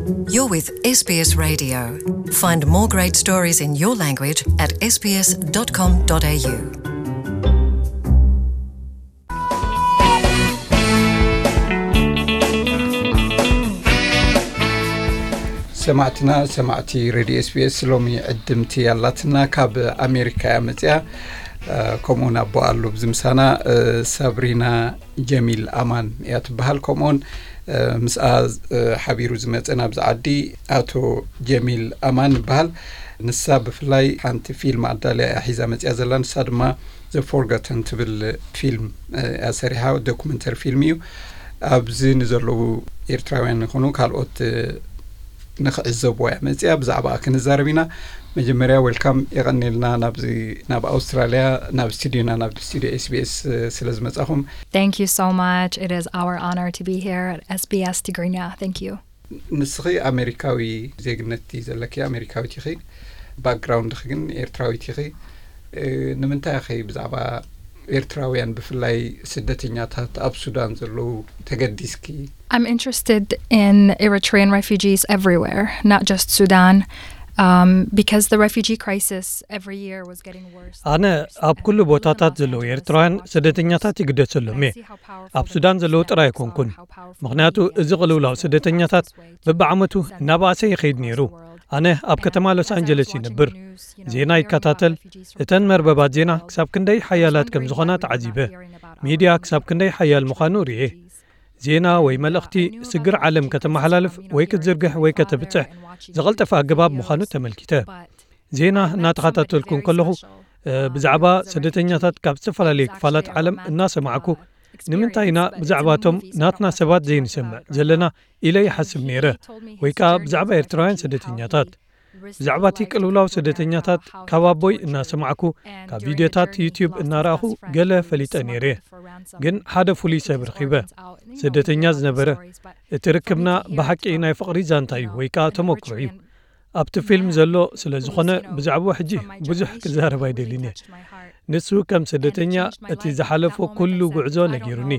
You're with S B S Radio. Find more great stories in your language at S B S dot com dot A U. ሰማዕትና፣ ሰማዕቲ ሬድዮ ኤስቢኤስ፣ ሎሚ ዕድምቲ ኣላትና። ካብ ኣሜሪካ እያ መፅያ። ከምኡውን ኣቦ ኣሎ ብዚ ምሳና። ሳብሪና ጀሚል ኣማን እያ ትበሃል። ከምኡውን ምስኣ ሓቢሩ ዝመፀ ናብዚ ዓዲ ኣቶ ጀሚል ኣማን ይበሃል። ንሳ ብፍላይ ሓንቲ ፊልም ኣዳልያ እያ ሒዛ መፅያ ዘላ። ንሳ ድማ ዘ ፎርጋተን ትብል ፊልም እያ ሰሪሓ፣ ዶኩመንተሪ ፊልም እዩ። ኣብዚ ንዘለዉ ኤርትራውያን ይኹኑ ካልኦት ንኽዕዘብዋ እያ መፅያ። ብዛዕባ ክንዛረብ ኢና። መጀመርያ ዌልካም የቐንየልና ናብዚ፣ ናብ ኣውስትራልያ፣ ናብ ስቱዲዮና፣ ናብ ስቱዲዮ ኤስቢኤስ ስለ ዝመጻኹም። Thank you so much. It is our honor to be here at S B S Tigrinya. Thank you. ንስኺ ኣሜሪካዊ ዜግነት ዘለኪ፣ ኣሜሪካዊት ኢኺ። ባክግራውንድኺ ግን ኤርትራዊት ኢኺ። ንምንታይ ኢኺ ብዛዕባ ኤርትራውያን ብፍላይ ስደተኛታት ኣብ ሱዳን ዘለዉ ተገዲስኪ? I'm interested in Eritrean refugees everywhere, not just Sudan, um, because the refugee crisis every year was getting worse. ኣነ ኣብ ኩሉ ቦታታት ዘለዉ ኤርትራውያን ስደተኛታት ይግደሰሎም እየ። ኣብ ሱዳን ዘለዉ ጥራይ ኣይኮንኩን። ምኽንያቱ እዚ ቅልውላው ስደተኛታት በብዓመቱ እናበኣሰ ይኸይድ ነይሩ። ኣነ ኣብ ከተማ ሎስ ኣንጀለስ ይነብር። ዜና ይከታተል። እተን መርበባት ዜና ክሳብ ክንደይ ሓያላት ከም ዝኾና ተዓዚበ። ሚድያ ክሳብ ክንደይ ሓያል ምዃኑ ርእየ። ዜና ወይ መልእኽቲ ስግር ዓለም ከተመሓላልፍ ወይ ክትዝርግሕ ወይ ከተብጽሕ ዝቐልጠፈ ኣገባብ ምዃኑ ተመልኪተ። ዜና እናተኸታተልኩ እንከለኹ ብዛዕባ ስደተኛታት ካብ ዝተፈላለዩ ክፋላት ዓለም እናሰማዕኩ፣ ንምንታይ ኢና ብዛዕባቶም ናትና ሰባት ዘይንሰምዕ ዘለና ኢለ ይሓስብ ነይረ። ወይ ከኣ ብዛዕባ ኤርትራውያን ስደተኛታት፣ ብዛዕባ እቲ ቅልውላው ስደተኛታት ካብ ኣቦይ እናሰማዕኩ፣ ካብ ቪድዮታት ዩትዩብ እናረኣኹ ገለ ፈሊጠ ነይረ። ግን ሓደ ፍሉይ ሰብ ረኺበ፣ ስደተኛ ዝነበረ። እቲ ርክብና ብሓቂ ናይ ፍቕሪ ዛንታ እዩ ወይ ከኣ ተመክሮ እዩ። ኣብቲ ፊልም ዘሎ ስለ ዝኾነ ብዛዕባኡ ሕጂ ብዙሕ ክዛረብ ኣይደልን እየ። ንሱ ከም ስደተኛ እቲ ዝሓለፎ ኩሉ ጉዕዞ ነጊሩኒ።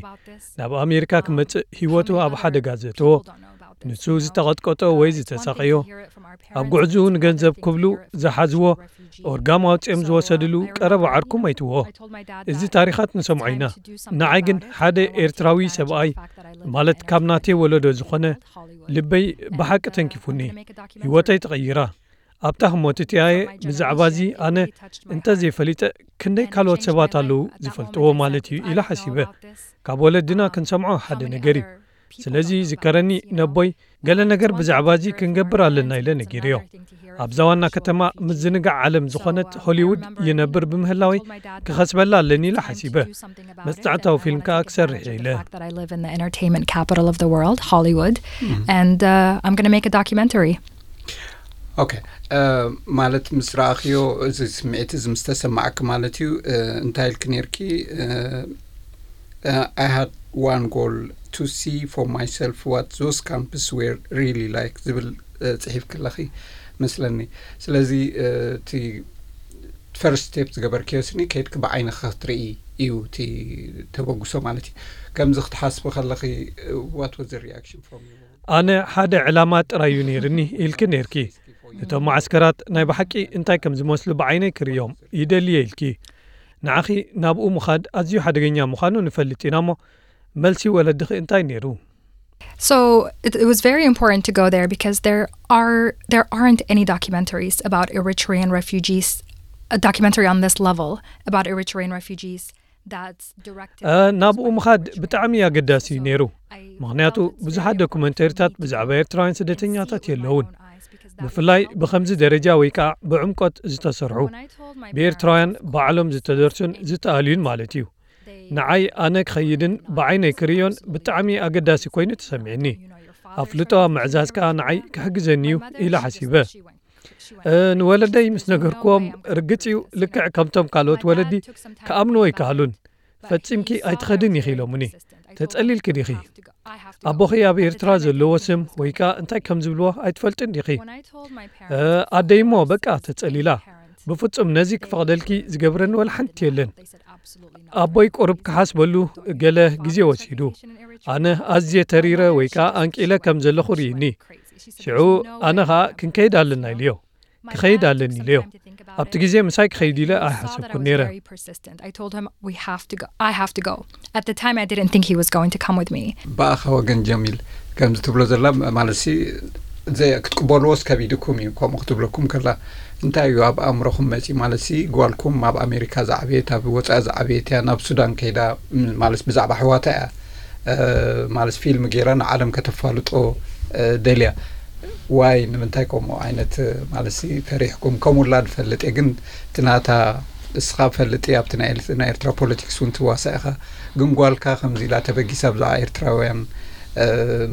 ናብ ኣሜሪካ ክመጽእ ህይወቱ ኣብ ሓደጋ ዘእተዎ፣ ንሱ ዝተቐጥቀጦ ወይ ዝተሳቐዮ፣ ኣብ ጉዕዝኡ ንገንዘብ ክብሉ ዝሓዝዎ፣ ኦርጋም ኣውጺኦም ዝወሰድሉ ቀረባ ዓርኩ መይትዎ። እዚ ታሪኻት ንሰምዖ ኢና። ንዓይ ግን ሓደ ኤርትራዊ ሰብኣይ፣ ማለት ካብ ናተይ ወለዶ ዝኾነ፣ ልበይ ብሓቂ ተንኪፉኒ። ህይወተይ ተቐይራ። ኣብታ ህሞት እቲኣየ ብዛዕባ እዚ ኣነ እንተዘይፈሊጠ ክንደይ ካልኦት ሰባት ኣለዉ ዝፈልጥዎ ማለት እዩ ኢለ ሓሲበ። ካብ ወለድና ክንሰምዖ ሓደ ነገር እዩ። ስለዚ ይዝከረኒ ነቦይ ገለ ነገር ብዛዕባ እዚ ክንገብር ኣለና ኢለ ነጊርዮ። ኣብዛ ዋና ከተማ ምዝንጋዕ ዓለም ዝኾነት ሆሊውድ ይነብር ብምህላወይ ክኸስበላ ኣለኒ ኢለ ሓሲበ። መጽናዕታዊ ፊልም ከኣ ክሰርሕ እየ ኢለ። Fact that I live in the entertainment capital of the world, Hollywood, and uh, I'm going to make a documentary. ኦኬ፣ ማለት ምስ ረኣኽዮ፣ እዚ ስምዒት እዚ ምስ ተሰማዓኪ ማለት እዩ። እንታይ ኢልኪ ነይርኪ? I had one goal to see for myself what those camps were really like ዝብል ጽሒፍኪ ኣለኺ መስለኒ። ስለዚ እቲ ፈርስት ስቴፕ ዝገበርክዮ ስኒ ከይድኪ ብዓይንኺ ክትርኢ እዩ እቲ ተበግሶ ማለት እዩ። ከምዚ ክትሓስቢ ከለኺ፣ what was the reaction from you? ኣነ ሓደ ዕላማ ጥራይ እዩ ነይርኒ ኢልኪ ነይርኪ። እቶም መዓስከራት ናይ ብሓቂ እንታይ ከም ዝመስሉ ብዓይነይ ክርእዮም ይደልየ ኢልኪ። ንዓኺ ናብኡ ምኻድ ኣዝዩ ሓደገኛ ምዃኑ ንፈልጥ ኢና እሞ፣ መልሲ ወለድኺ እንታይ ነይሩ? So it, it was very important to go there because there are there aren't any documentaries about Eritrean refugees, a documentary on this level about Eritrean refugees that's directed. ናብኡ ምኻድ ብጣዕሚ ኣገዳሲ እዩ ነይሩ። ምኽንያቱ ብዙሓት ዶኩመንተሪታት ብዛዕባ ኤርትራውያን ስደተኛታት የለውን፣ ብፍላይ ብኸምዚ ደረጃ ወይ ከዓ ብዕምቆት ዝተሰርሑ። ብኤርትራውያን ባዕሎም ዝተደርሱን ዝተኣልዩን ማለት እዩ። ንዓይ ኣነ ክኸይድን ብዓይነይ ክርእዮን ብጣዕሚ ኣገዳሲ ኮይኑ ተሰሚዕኒ። ኣፍልጦ ኣብ ምዕዛዝ ከኣ ንዓይ ክሕግዘኒ እዩ ኢለ ሓሲበ። ንወለደይ ምስ ነገርክዎም፣ ርግጽ እዩ ልክዕ ከምቶም ካልኦት ወለዲ ክኣምንዎ ኣይከኣሉን። ፈጺምኪ ኣይትኸድን ኢኺ ኢሎምኒ። ተጸሊልኪ ዲኺ? ኣቦኺ ኣብ ኤርትራ ዘለዎ ስም ወይ ከኣ እንታይ ከም ዝብልዎ ኣይትፈልጥን ዲኺ? ኣደይ እሞ በቃ ተጸሊላ። ብፍጹም ነዚ ክፈቕደልኪ ዝገብረኒ ወላ ሓንቲ የለን። ኣቦይ ቁሩብ ክሓስበሉ ገለ ግዜ ወሲዱ። ኣነ ኣዝየ ተሪረ ወይ ከኣ ኣንቂለ ከም ዘለኹ ርእዩኒ። ሽዑ ኣነ ኸኣ ክንከይድ ኣለና ኢለዮ። ክኸይድ ኣለኒ ኢለዮ። ኣብቲ ግዜ ምሳይ ክኸይድ ኢለ ኣይሓሰብኩን ነይረ። ብኣኻ ወገን ጀሚል ከምዚ ትብሎ ዘላ ማለት ሲ ክትቅበልዎስ ከቢድኩም እዩ። ከምኡ ክትብለኩም ከላ እንታይ እዩ ኣብ ኣእምሮኹም መፂ? ማለት ሲ ጓልኩም ኣብ ኣሜሪካ ዝዓበየት ኣብ ወፃኢ ዝዓበየት እያ፣ ናብ ሱዳን ከይዳ ማለት ብዛዕባ ኣሕዋታ እያ ማለት ፊልም ገይራ ንዓለም ከተፋልጦ ደልያ። ዋይ ንምንታይ ከምኡ ዓይነት ማለት ሲ ፈሪሕኩም? ከምኡላ ንፈልጥ እየ፣ ግን እቲ ናታ እስኻ ፈልጥ እየ ኣብቲ ናይ ኤርትራ ፖለቲክስ እውን ትዋሳእ ኢኻ። ግን ጓልካ ከምዚ ኢላ ተበጊሳ ብዛዕባ ኤርትራውያን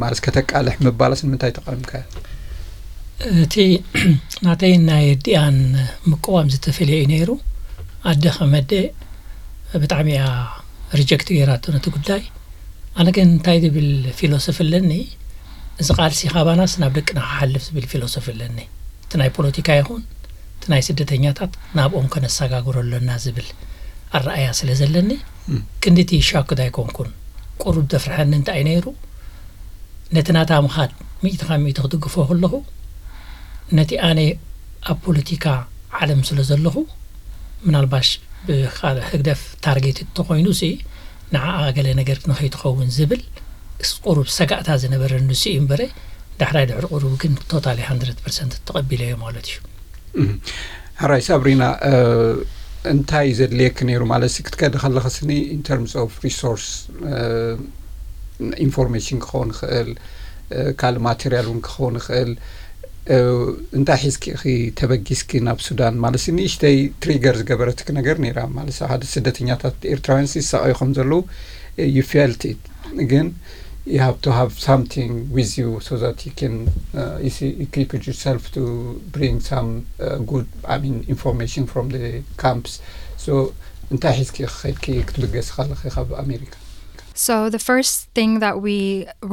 ማለት ከተቃልሕ ምባላስ ንምንታይ ተቃዊምካዮ? እቲ ናተይ ናይ ኣዲኣን ምቅዋም ዝተፈለየ እዩ ነይሩ። ኣደ ከም ኣደ ብጣዕሚ እያ ሪጀክት ገይራቶ ነቲ ጉዳይ። ኣነ ግን እንታይ ዝብል ፊሎሶፊ ኣለኒ፣ እዚ ቃልሲ ካባናስ ናብ ደቅና ክሓልፍ ዝብል ፊሎሶፊ ኣለኒ። እቲ ናይ ፖለቲካ ይኹን እቲ ናይ ስደተኛታት ናብኦም ከነሰጋግሮ ኣለና ዝብል ኣረኣያ ስለ ዘለኒ ክንድቲ ሻክድ ኣይኮንኩን። ቁሩብ ዘፍርሐኒ እንታይ እዩ ነይሩ፣ ነቲ ናታ ምኻድ ሚእቲ ካብ ሚእቲ ክድግፎ ከለኹ ነቲ ኣነ ኣብ ፖለቲካ ዓለም ስለ ዘለኹ ምናልባሽ ብካልእ ህግደፍ ታርጌት እንተኾይኑ ሲ ንዓኣ ገለ ነገር ንኸይትኸውን ዝብል ቁሩብ ሰጋእታ ዝነበረ ንሱ እዩ እምበረ ዳሕራይ ድሕሪ ቁሩብ ግን ቶታሊ ሃንድረድ ፐርሰንት ተቐቢለዮ ማለት እዩ። ሕራይ ሳብሪና እንታይ ዘድልየኪ ነይሩ ማለት ክትከዲ ከለኽስኒ in terms of resource information ክኸውን ይኽእል ካልእ ማቴሪያል እውን ክኸውን ይኽእል እንታይ ሒዝኪ ኢኺ ተበጊስኪ ናብ ሱዳን ማለት ንእሽተይ ትሪገር ዝገበረትኪ ነገር ነይራ ማለት ሓደ ስደተኛታት ኤርትራውያን ይሳቐዩ ከም ዘለዉ you felt it ግን you have to have something with you so that you can uh, you see, equip yourself to bring some uh, good I mean information from the camps so እንታይ ሒዝኪ ኸድኪ ክትብገሲ ከለኺ ካብ ኣሜሪካ So the first thing that we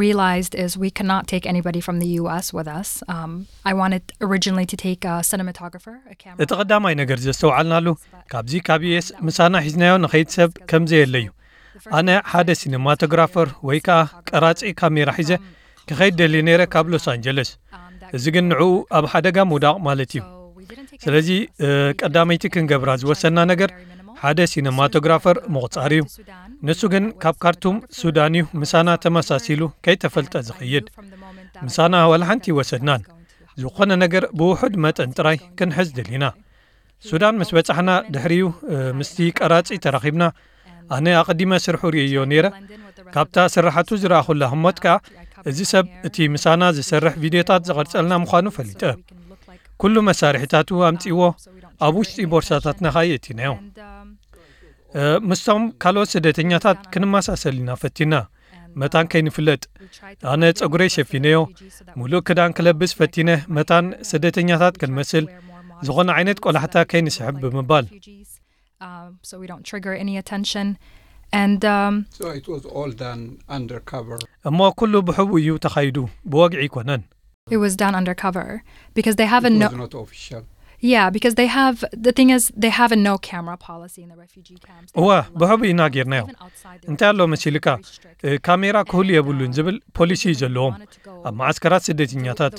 realized is we cannot take anybody from the U S with us. Um, I wanted originally to take a cinematographer, a camera. እቲ ቀዳማይ ነገር ዘስተውዓልናሉ ካብዚ ካብ ዩኤስ ምሳና ሒዝናዮ ንኸይድ ሰብ ከም ዘየለዩ ኣነ ሓደ ሲነማቶግራፈር ወይ ከኣ ቀራጺ ካሜራ ሒዘ ክኸይድ ደልየ ነይረ ካብ ሎስ ኣንጀለስ። እዚ ግን ንዕኡ ኣብ ሓደጋ ምውዳቕ ማለት እዩ። ስለዚ ቀዳመይቲ ክንገብራ ዝወሰና ነገር ሓደ ሲነማቶግራፈር ምቑጻር እዩ። ንሱ ግን ካብ ካርቱም ሱዳን እዩ ምሳና ተመሳሲሉ ከይተፈልጠ ዝኸይድ። ምሳና ዋላ ሓንቲ ይወሰድናን። ዝኾነ ነገር ብውሑድ መጠን ጥራይ ክንሕዝ ደሊና። ሱዳን ምስ በጻሕና ድሕሪኡ ምስቲ ቀራጺ ተራኺብና። ኣነ ኣቐዲመ ስርሑ ርእየዮ ነይረ። ካብታ ስርሓቱ ዝረኣኹላ ህሞት ከኣ እዚ ሰብ እቲ ምሳና ዝሰርሕ ቪድዮታት ዝቐርጸልና ምዃኑ ፈሊጠ። ኩሉ መሳርሒታቱ ኣምጺእዎ ኣብ ውሽጢ ቦርሳታትና ከኣ የእቲናዮ። ምስቶም ካልኦት ስደተኛታት ክንመሳሰል ኢና ፈቲና። መታን ከይንፍለጥ ኣነ ጸጉረይ ሸፊነዮ። ሙሉእ ክዳን ክለብስ ፈቲነ መታን ስደተኛታት ክንመስል ዝኾነ ዓይነት ቆላሕታ ከይንስሕብ ብምባል። Um, so we don't trigger any attention. And um, So it was all done undercover. እሞ ኩሉ ብሕቡ እዩ ተኻይዱ፣ ብወግዒ ኣይኮነን። It was done undercover because they have a It no. Was not official. Yeah, because they have the thing is they have a no camera policy in the refugee camps. They እወ don't allow ብሕቡ ኢና ጌርናዮ። even outside the እንታይ ኣሎ መሲልካ? እ፣ ካሜራ ክህሉ የብሉን ዝብል ፖሊሲ እዩ ዘለዎም። ኣብ መዓስከራት ስደተኛታት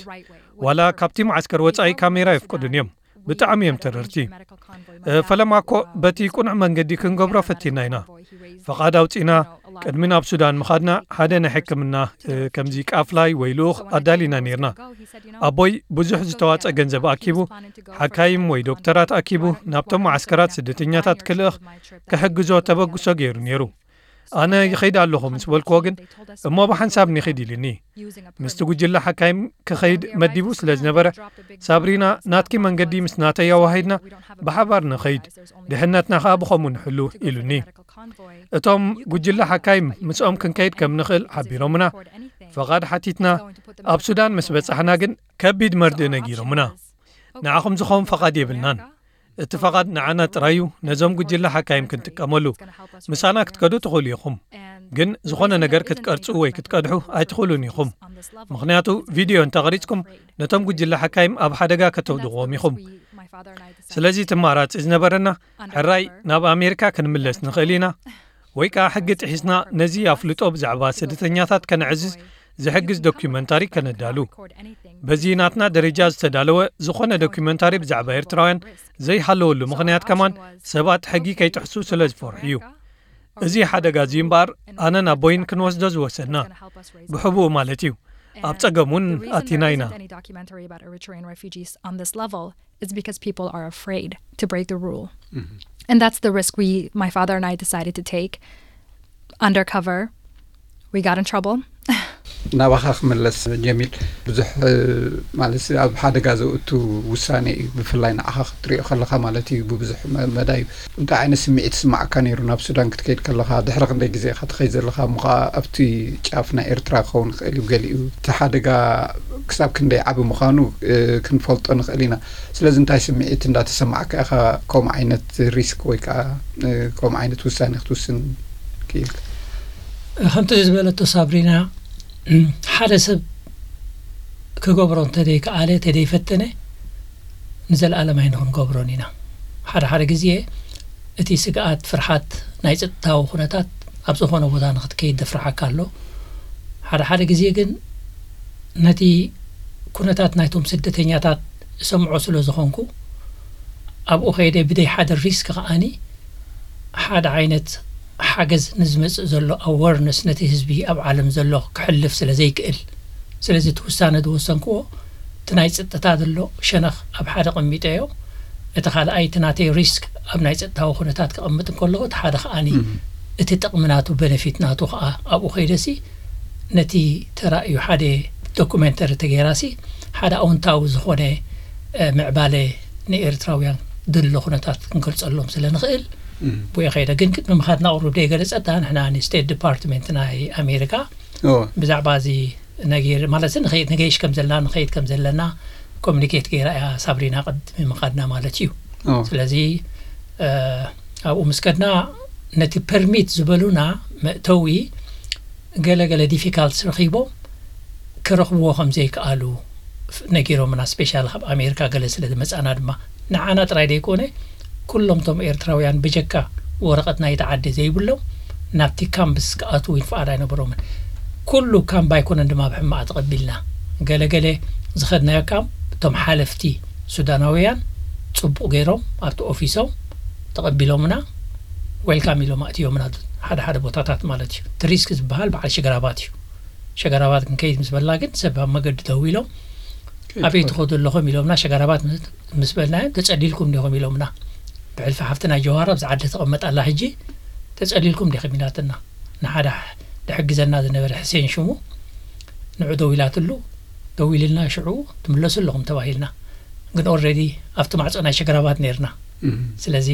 ዋላ ካብቲ መዓስከር ወጻኢ ካሜራ የፍቅዱን እዮም። ብጣዕሚ እዮም ተረርቲ። እ፣ ፈለማ እኮ በቲ ቁኑዕ መንገዲ ክንገብሮ ፈቲና ኢና። ፈቓድ ኣውጺና ቅድሚ ናብ ሱዳን ምኻድና ሓደ ናይ ሕክምና እ፣ ከምዚ ቃፍላይ ወይ ልኡኽ ኣዳሊና ነይርና። ኣቦይ ብዙሕ ዝተዋጸ ገንዘብ ኣኪቡ ሓካይም ወይ ዶክተራት ኣኪቡ ናብቶም መዓስከራት ስደተኛታት ክልእኽ ክሕግዞ ተበግሶ ገይሩ ነይሩ። ኣነ ይኸይድ ኣለኹ ምስ በልክዎ ግን እሞ ብሓንሳብ ንኺድ ኢልኒ። ምስቲ ጉጅለ ሓካይም ክኸይድ መዲቡ ስለ ዝነበረ ሳብሪና ናትኪ መንገዲ ምስ ናተይ ኣዋሂድና ብሓባር ንኸይድ ድሕነትና ኸኣ ብኸምኡ ንሕሉ ኢሉኒ። እቶም ጉጅለ ሓካይም ምስኦም ክንከይድ ከም ንኽእል ሓቢሮምና ፈቓድ ሓቲትና። ኣብ ሱዳን ምስ በጻሕና ግን ከቢድ መርድእ ነጊሮምና። ንዓኹም ዝኸውን ፈቓድ የብልናን። እቲ ፈቓድ ንዓና ጥራይ እዩ ነዞም ጉጅለ ሓካይም ክንጥቀመሉ። ምሳና ክትከዱ ትኽእሉ ኢኹም። ግን ዝኾነ ነገር ክትቀርጹ ወይ ክትቀድሑ ኣይትኽእሉን ኢኹም። ምኽንያቱ ቪድዮ እንተቐሪጽኩም ነቶም ጉጅለ ሓካይም ኣብ ሓደጋ ከተውድቕዎም ኢኹም። ስለዚ እቲ ኣማራጺ ዝነበረና፣ ሕራይ ናብ ኣሜሪካ ክንምለስ ንኽእል ኢና፣ ወይ ከኣ ሕጊ ጥሒስና ነዚ ኣፍልጦ ብዛዕባ ስደተኛታት ከነዕዝዝ ዝሕግዝ ዶኩመንታሪ ከነዳሉ። በዚ ናትና ደረጃ ዝተዳለወ ዝኾነ ዶኩመንታሪ ብዛዕባ ኤርትራውያን ዘይሃለወሉ ምኽንያት ከማን ሰባት ሕጊ ከይጥሕሱ ስለ ዝፈርሑ እዩ። እዚ ሓደጋ እዚ እምበኣር ኣነን ኣቦይን ክንወስዶ ዝወሰና፣ ብሕቡእ ማለት እዩ። ኣብ ጸገም እውን ኣቲና ኢና። Is because people are afraid to break the rule. And that's the risk we, my father and I, decided to take. Undercover, we got in trouble. ናባኻ ክምለስ ጀሚል፣ ብዙሕ ማለት ኣብ ሓደጋ ዘእቱ ውሳኔ እዩ። ብፍላይ ንዓኻ ክትሪኦ ከለኻ ማለት እዩ። ብብዙሕ መዳይ እንታይ ዓይነት ስምዒት ስማዕካ ነይሩ? ናብ ሱዳን ክትከይድ ከለኻ ድሕሪ ክንደይ ግዜ ኢኻ ትኸይድ ዘለኻ? እሞ ኸዓ ኣብቲ ጫፍ ናይ ኤርትራ ክኸውን ይኽእል እዩ። ገሊኡ እቲ ሓደጋ ክሳብ ክንደይ ዓቢ ምዃኑ ክንፈልጦ ንኽእል ኢና። ስለዚ እንታይ ስምዒት እንዳተሰማዕካ ኢኻ ከምኡ ዓይነት ሪስክ ወይ ከዓ ከምኡ ዓይነት ውሳኔ ክትውስን ክኢልካ? ከምቲ ዝበለቶ ሳብሪና፣ ሓደ ሰብ ክገብሮ እንተደይከኣለ፣ እንተደይፈተነ፣ ንዘለኣለም ኣይንኽንገብሮን ኢና። ሓደ ሓደ ግዜ እቲ ስግኣት፣ ፍርሓት ናይ ጸጥታዊ ኩነታት ኣብ ዝኾነ ቦታ ንኽትከይድ ደፍርሓካ ኣሎ። ሓደ ሓደ ግዜ ግን ነቲ ኩነታት ናይቶም ስደተኛታት እሰምዖ ስለ ዝኾንኩ፣ ኣብኡ ከይደ ብደይ ሓደ ሪስክ ከኣኒ ሓደ ዓይነት ሓገዝ ንዝመጽእ ዘሎ ኣወርነስ ነቲ ህዝቢ ኣብ ዓለም ዘሎ ክሕልፍ ስለ ዘይክእል፣ ስለዚ እቲ ውሳነ ዝወሰንክዎ እቲ ናይ ጸጥታ ዘሎ ሸነኽ ኣብ ሓደ ቀሚጠዮ። እቲ ካልኣይ እቲ ናተይ ሪስክ ኣብ ናይ ጸጥታዊ ኩነታት ክቕምጥ እንከለኹ፣ እቲ ሓደ ከኣኒ እቲ ጥቕሚ ናቱ፣ በነፊት ናቱ ከኣ ኣብኡ ከይደሲ ነቲ ተራእዩ ሓደ ዶኩሜንተሪ ተገይራሲ ሓደ ኣውንታዊ ዝኾነ ምዕባለ ንኤርትራውያን ድሎ ኩነታት ክንገልጸሎም ስለ ንኽእል ብኡ ከይደ። ግን ቅድሚ ምኻድና ቁሩብ ደይ ገለጸታ፣ ንሕና ንስቴት ዲፓርትመንት ናይ ኣሜሪካ ብዛዕባ እዚ ነገር ማለት ንገይሽ ከም ዘለና፣ ንኸይድ ከም ዘለና ኮሚኒኬት ገይራ እያ ሳብሪና ቅድሚ ምኻድና ማለት እዩ። ስለዚ ኣብኡ ምስ ከድና ነቲ ፐርሚት ዝበሉና መእተዊ ገለ ገለ ዲፊካልትስ ረኺቦም ክረኽብዎ ከም ዘይከኣሉ ነጊሮምና። ስፔሻል ካብ ኣሜሪካ ገለ ስለ ዝመጻና ድማ ንዓና ጥራይ ደይኮነ ኩሎም ቶም ኤርትራውያን ብጀካ ወረቐት ናይቲ ዓዲ ዘይብሎም ናብቲ ካምፕስ ክኣትዉ ፍቓድ ኣይነበሮምን። ኩሉ ካምፕ ኣይኮነን ድማ ብሕማቕ ተቐቢልና። ገለ ገለ ዝኸድናዮ ካምፕ እቶም ሓለፍቲ ሱዳናውያን ጽቡቕ ገይሮም ኣብቲ ኦፊሶም ተቐቢሎምና፣ ዌልካም ኢሎም ኣእትዮምና። ሓደ ሓደ ቦታታት ማለት እዩ። እቲ ሪስክ ዝበሃል በዓል ሸገራባት እዩ። ሸገራባት ክንከይድ ምስ በልና ግን ሰብ ኣብ መገዲ ደው ኢሎም ኣበይ ትኸዱ ኣለኹም ኢሎምና። ሸገራባት ምስ በልናዮም ተጸሊልኩም ዲኹም ኢሎምና። ብሕልፊ ሓፍትና ጀዋር ኣብዚ ዓዲ ተቐመጥ ኣላ ሕጂ፣ ተጸሊልኩም ዲኹም ኢላትና። ንሓደ ድሕግዘና ዝነበረ ሕሴን ሽሙ ንዑ ደው ኢላትሉ፣ ደው ኢልና ሽዑ ትምለሱ ኣለኹም ተባሂልና። ግን ኦልሬዲ ኣብቲ ማዕጾ ናይ ሸገራባት ነርና። ስለዚ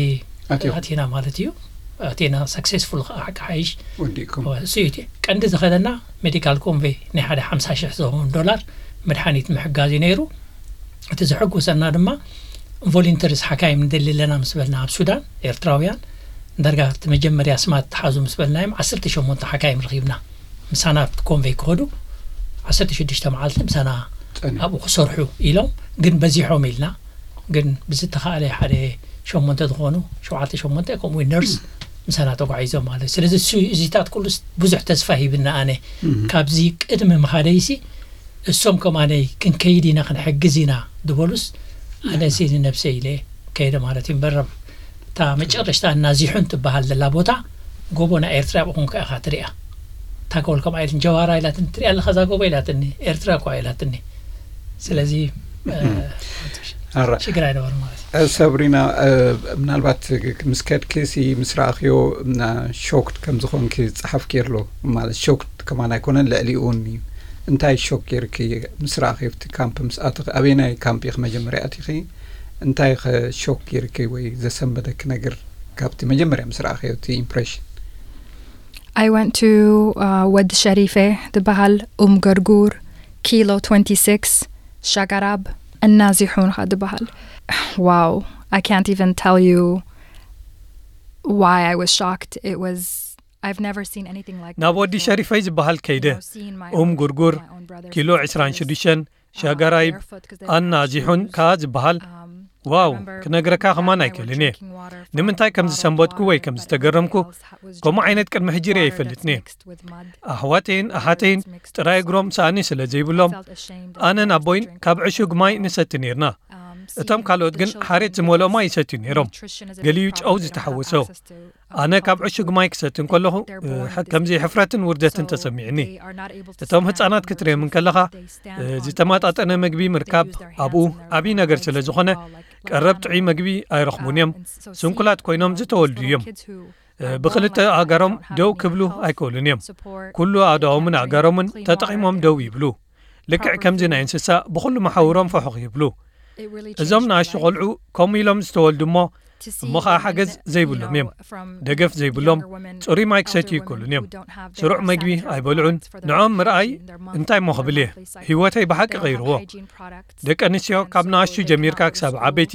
ኣቲና ማለት እዩ። ኣቲና ሰክሴስፉል ከዓ ሓቂ ሓይሽ ወዲእኩም እሱ እዩ። ቀንዲ ዝኸደና ሜዲካል ኮንቬይ ናይ ሓደ ሓምሳ ሽሕ ዝኸውን ዶላር መድሓኒት ምሕጋዝ እዩ ነይሩ። እቲ ዘሐጉሰና ድማ ቮሊንተርስ ሓካይም ንደሊ ኣለና ምስ በልና ኣብ ሱዳን ኤርትራውያን ዳርጋ እቲ መጀመርያ ስማት ተሓዙ ምስ በልናዮም ዓሰርተ ሸሞንተ ሓካይም ረኺብና። ምሳና ኣብቲ ኮንቬይ ክኸዱ ዓሰርተ ሽዱሽተ መዓልቲ ምሳና ኣብኡ ክሰርሑ ኢሎም ግን በዚሖም ኢልና ግን ብዝተኻእለ ሓደ ሸሞንተ ዝኾኑ ሸውዓተ ሸሞንተ ከምኡ ነርስ ምሳና ተጓዒዞም ማለት። ስለዚ እዚታት ኩሉ ብዙሕ ተስፋ ሂብና። ኣነ ካብዚ ቅድሚ ምኻደይሲ እሶም ከማነይ ክንከይድ ኢና ክንሕግዝ ኢና ዝበሉስ ኣነሲ ንነብሰ ኢለ ከይደ ማለት እዩ። እምበር እታ መጨረሽታ እናዚሑን ትበሃል ዘላ ቦታ ጎቦ ናይ ኤርትራ ብኹንካ ኢኻ ትሪኣ። ታከወል ከምኣ ኢልን ጀዋራ ኢላትኒ ትሪኣ ኣለኻ እዛ ጎቦ ኢላትኒ ኤርትራ እኳ ኢላትኒ። ስለዚ ሽግር ኣይነበሩ ማለት እዩ። ሰብሪና፣ ምናልባት ምስ ከድኪ ሲ ምስ ረኣኽዮ ሾክድ ከም ዝኾንኪ ጸሓፍኪ ኣሎ ማለት ሾክድ ከማን ኣይኮነን ልዕሊኡ እውን እዩ። እንታይ ሾክ ጌርኪ ምስ ረኣኽዮ ኣብቲ ካምፕ ምስ ኣተኺ? ኣበየናይ ካምፕ ኢኺ መጀመርያ ኣቲኺ? እንታይ ኸ ሾክ ጌርኪ ወይ ዘሰንበደኪ ነገር ካብቲ መጀመርያ ምስ ረኣኽዮ እቲ ኢምፕሬሽን? I went to uh, ወዲ ሸሪፈ ዝበሃል ኡም ገርጉር ኪሎ twenty-six ሸገራብ እናዚሑን ኻ ዝበሃል። Wow, I can't even tell you why I was shocked. It was I've never seen anything like ናብ ወዲ ሸሪፈይ ዝበሃል ከይደ ኡም ጉርጉር ኪሎ ዕስራን ሽዱሽተን ሸገራይብ ኣናዚሑን ከኣ ዝበሃል ዋው፣ ክነግረካ ከማን ኣይክእልን እየ። ንምንታይ ከም ዝሰንበድኩ ወይ ከም ዝተገረምኩ፣ ከምኡ ዓይነት ቅድሚ ሕጂ ርእየ ኣይፈልጥን እየ። ኣሕዋተይን ኣሓተይን ጥራይ እግሮም ሳእኒ ስለ ዘይብሎም፣ ኣነን ኣቦይን ካብ ዕሹግ ማይ ንሰቲ ነይርና። እቶም ካልኦት ግን ሓሬት ዝመልኦ ማይ ይሰትዩ ነይሮም። ገሊኡ ጨው ዝተሓወሶ። ኣነ ካብ ዕሹግ ማይ ክሰቲ እንከለኹ፣ እ፣ ከምዚ ሕፍረትን ውርደትን ተሰሚዕኒ። እቶም ህጻናት ክትርእዮም እንከለኻ፣ እ፣ ዝተመጣጠነ ምግቢ ምርካብ ኣብኡ ዓብዪ ነገር ስለ ዝኾነ፣ ቀረብ ጥዑይ ምግቢ ኣይረኽቡን እዮም። ስንኩላት ኮይኖም ዝተወልዱ እዮም። እ፣ ብኽልተ ኣእጋሮም ደው ክብሉ ኣይክእሉን እዮም። ኩሉ ኣእዳዎምን ኣእጋሮምን ተጠቒሞም ደው ይብሉ። ልክዕ ከምዚ ናይ እንስሳ ብኹሉ መሓውሮም ፈሑኽ ይብሉ። እዞም ንኣሽቱ ቆልዑ ከምኡ ኢሎም ዝተወልዱ እሞ፣ እሞ ኸዓ ሓገዝ ዘይብሎም እዮም። ደገፍ ዘይብሎም፣ ጽሩይ ማይ ክሰትዩ ኣይክእሉን እዮም። ስሩዕ መግቢ ኣይበልዑን። ንዕኦም ምርኣይ እንታይ እሞ ክብል እየ? ህይወተይ ብሓቂ ቀይርዎ። ደቂ ኣንስትዮ ካብ ንኣሽቱ ጀሚርካ ክሳብ ዓበይቲ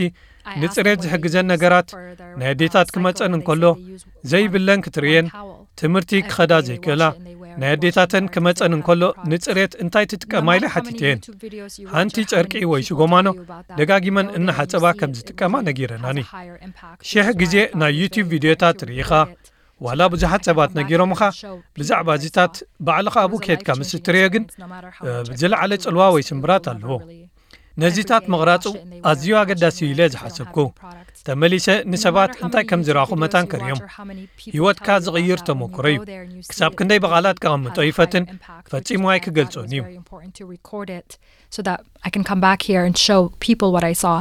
ንጽሬት ዝሕግዘን ነገራት፣ ናይ ኣዴታት ክመጸን እንከሎ ዘይብለን ክትርእየን፣ ትምህርቲ ክኸዳ ዘይክእላ፣ ናይ ኣዴታተን ክመጸን እንከሎ ንጽሬት እንታይ ትጥቀማ ኢለ ሓቲተየን። ሓንቲ ጨርቂ ወይ ሽጎማኖ ደጋጊመን እናሓጸባ ከም ዝጥቀማ ነጊረናኒ። ሽሕ ግዜ ናይ ዩቲዩብ ቪድዮታት ርኢኻ፣ ዋላ ብዙሓት ሰባት ነጊሮምኻ፣ ብዛዕባ እዚታት ባዕልኻ ኣብኡ ኬድካ ምስ እትርእዮ ግን፣ እ፣ ዝለዓለ ጽልዋ ወይ ስምብራት ኣለዎ። ነዚታት ምቕራጹ ኣዝዩ ኣገዳሲ ኢለ ዝሓሰብኩ። ተመሊሰ ንሰባት እንታይ ከም ዝረኣኹ መታን ከርእዮም። ህይወትካ ዝቕይር ተመክሮ እዩ። ክሳብ ክንደይ ብቓላት ከቐምጦ ይፈትን፣ ፈጺሙ ኣይክገልጾን እዩ። So that I can come back here and show people what I saw.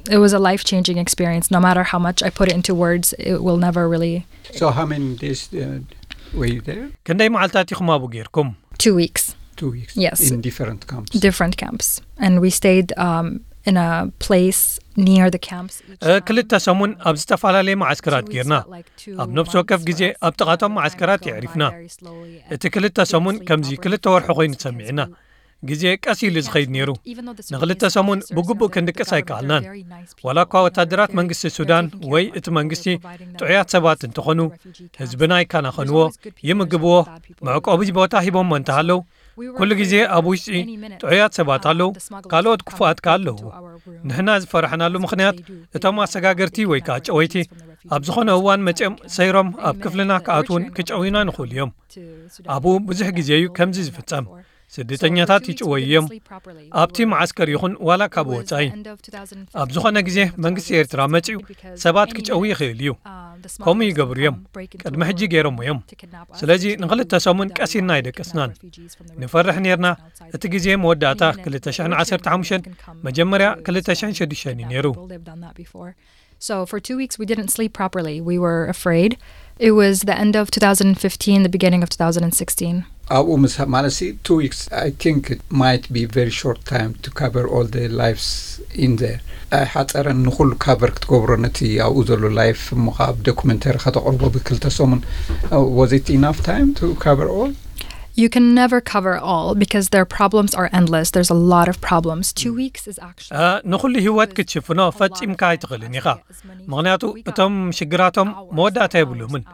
It was a life changing experience. No matter how much I put it into words, it will never really. So how many days uh, were you there? ክንደይ መዓልታት ኢኹም ኣብኡ ጌርኩም? Two weeks. Two weeks. Yes. In different camps. Different camps. And we stayed um, in a place near the camps. Each, እ፣ ክልተ ሰሙን ኣብ ዝተፈላለየ መዓስከራት ጌርና። ኣብ ነፍሲ ወከፍ ግዜ ኣብ ጥቓቶም መዓስከራት የዕሪፍና። እቲ ክልተ ሰሙን ከምዚ ክልተ ወርሒ ኮይኑ ተሰሚዕና። ግዜ ቀስ ኢሉ ዝኸይድ ነይሩ። ንኽልተ ሰሙን ብግቡእ ክንድቅስ ኣይከኣልናን። ዋላ እኳ ወታደራት መንግስቲ ሱዳን ወይ እቲ መንግስቲ ጥዑያት ሰባት እንተኾኑ፣ ህዝብና ይከናኸንዎ፣ ይምግብዎ፣ መዕቆቢ ቦታ ሂቦሞ እንተሃለዉ፣ ኩሉ ግዜ ኣብ ውሽጢ ጥዑያት ሰባት ኣለዉ፣ ካልኦት ክፉኣት ከኣ ኣለዉ። ንሕና ዝፈራሕናሉ ምኽንያት፣ እቶም ኣሰጋገርቲ ወይ ከኣ ጨወይቲ ኣብ ዝኾነ እዋን መጺኦም ሰይሮም ኣብ ክፍልና ክኣትዉን ክጨውዩናን ይኽእሉ እዮም። ኣብኡ ብዙሕ ግዜ እዩ ከምዚ ዝፍጸም። ስደተኛታት ይጭወዩ እዮም፣ ኣብቲ መዓስከር ይኹን ዋላ ካብ ወጻኢ። ኣብ ዝኾነ ግዜ መንግስቲ ኤርትራ መጺኡ ሰባት ክጨዊ ይኽእል እዩ። ከምኡ ይገብሩ እዮም። ቅድሚ ሕጂ ገይሮሞ እዮም። ስለዚ ንኽልተ ሰሙን ቀስ ኢልና ኣይደቀስናን። ንፈርሕ ነይርና። እቲ ግዜ መወዳእታ ክልተ ሽሕን ዓሰርተ ሓሙሽተን፣ መጀመርያ ክልተ ሽሕን ሽዱሽተን እዩ ነይሩ። So for two weeks we didn't sleep properly. We were afraid. It was the end of two thousand fifteen, the beginning of two thousand sixteen. ኣብኡ ምስ ማለት ሲ two weeks I think it might be very short time to cover all the lives in there. ኣይሓፀረን ንኹሉ cover ክትገብሮ ነቲ ኣብኡ ዘሎ life እሞ ከዓ ብ documentary ከተቕርቦ ብክልተ ሰሙን. Was it enough time to cover all? You can never cover all because their problems are endless. There's a lot of problems. Two weeks is actually. ንኹሉ ህይወት ክትሽፍኖ ፈጺምካ ኣይትኽእልን ኢኻ። ምኽንያቱ እቶም ሽግራቶም መወዳእታ የብሎምን።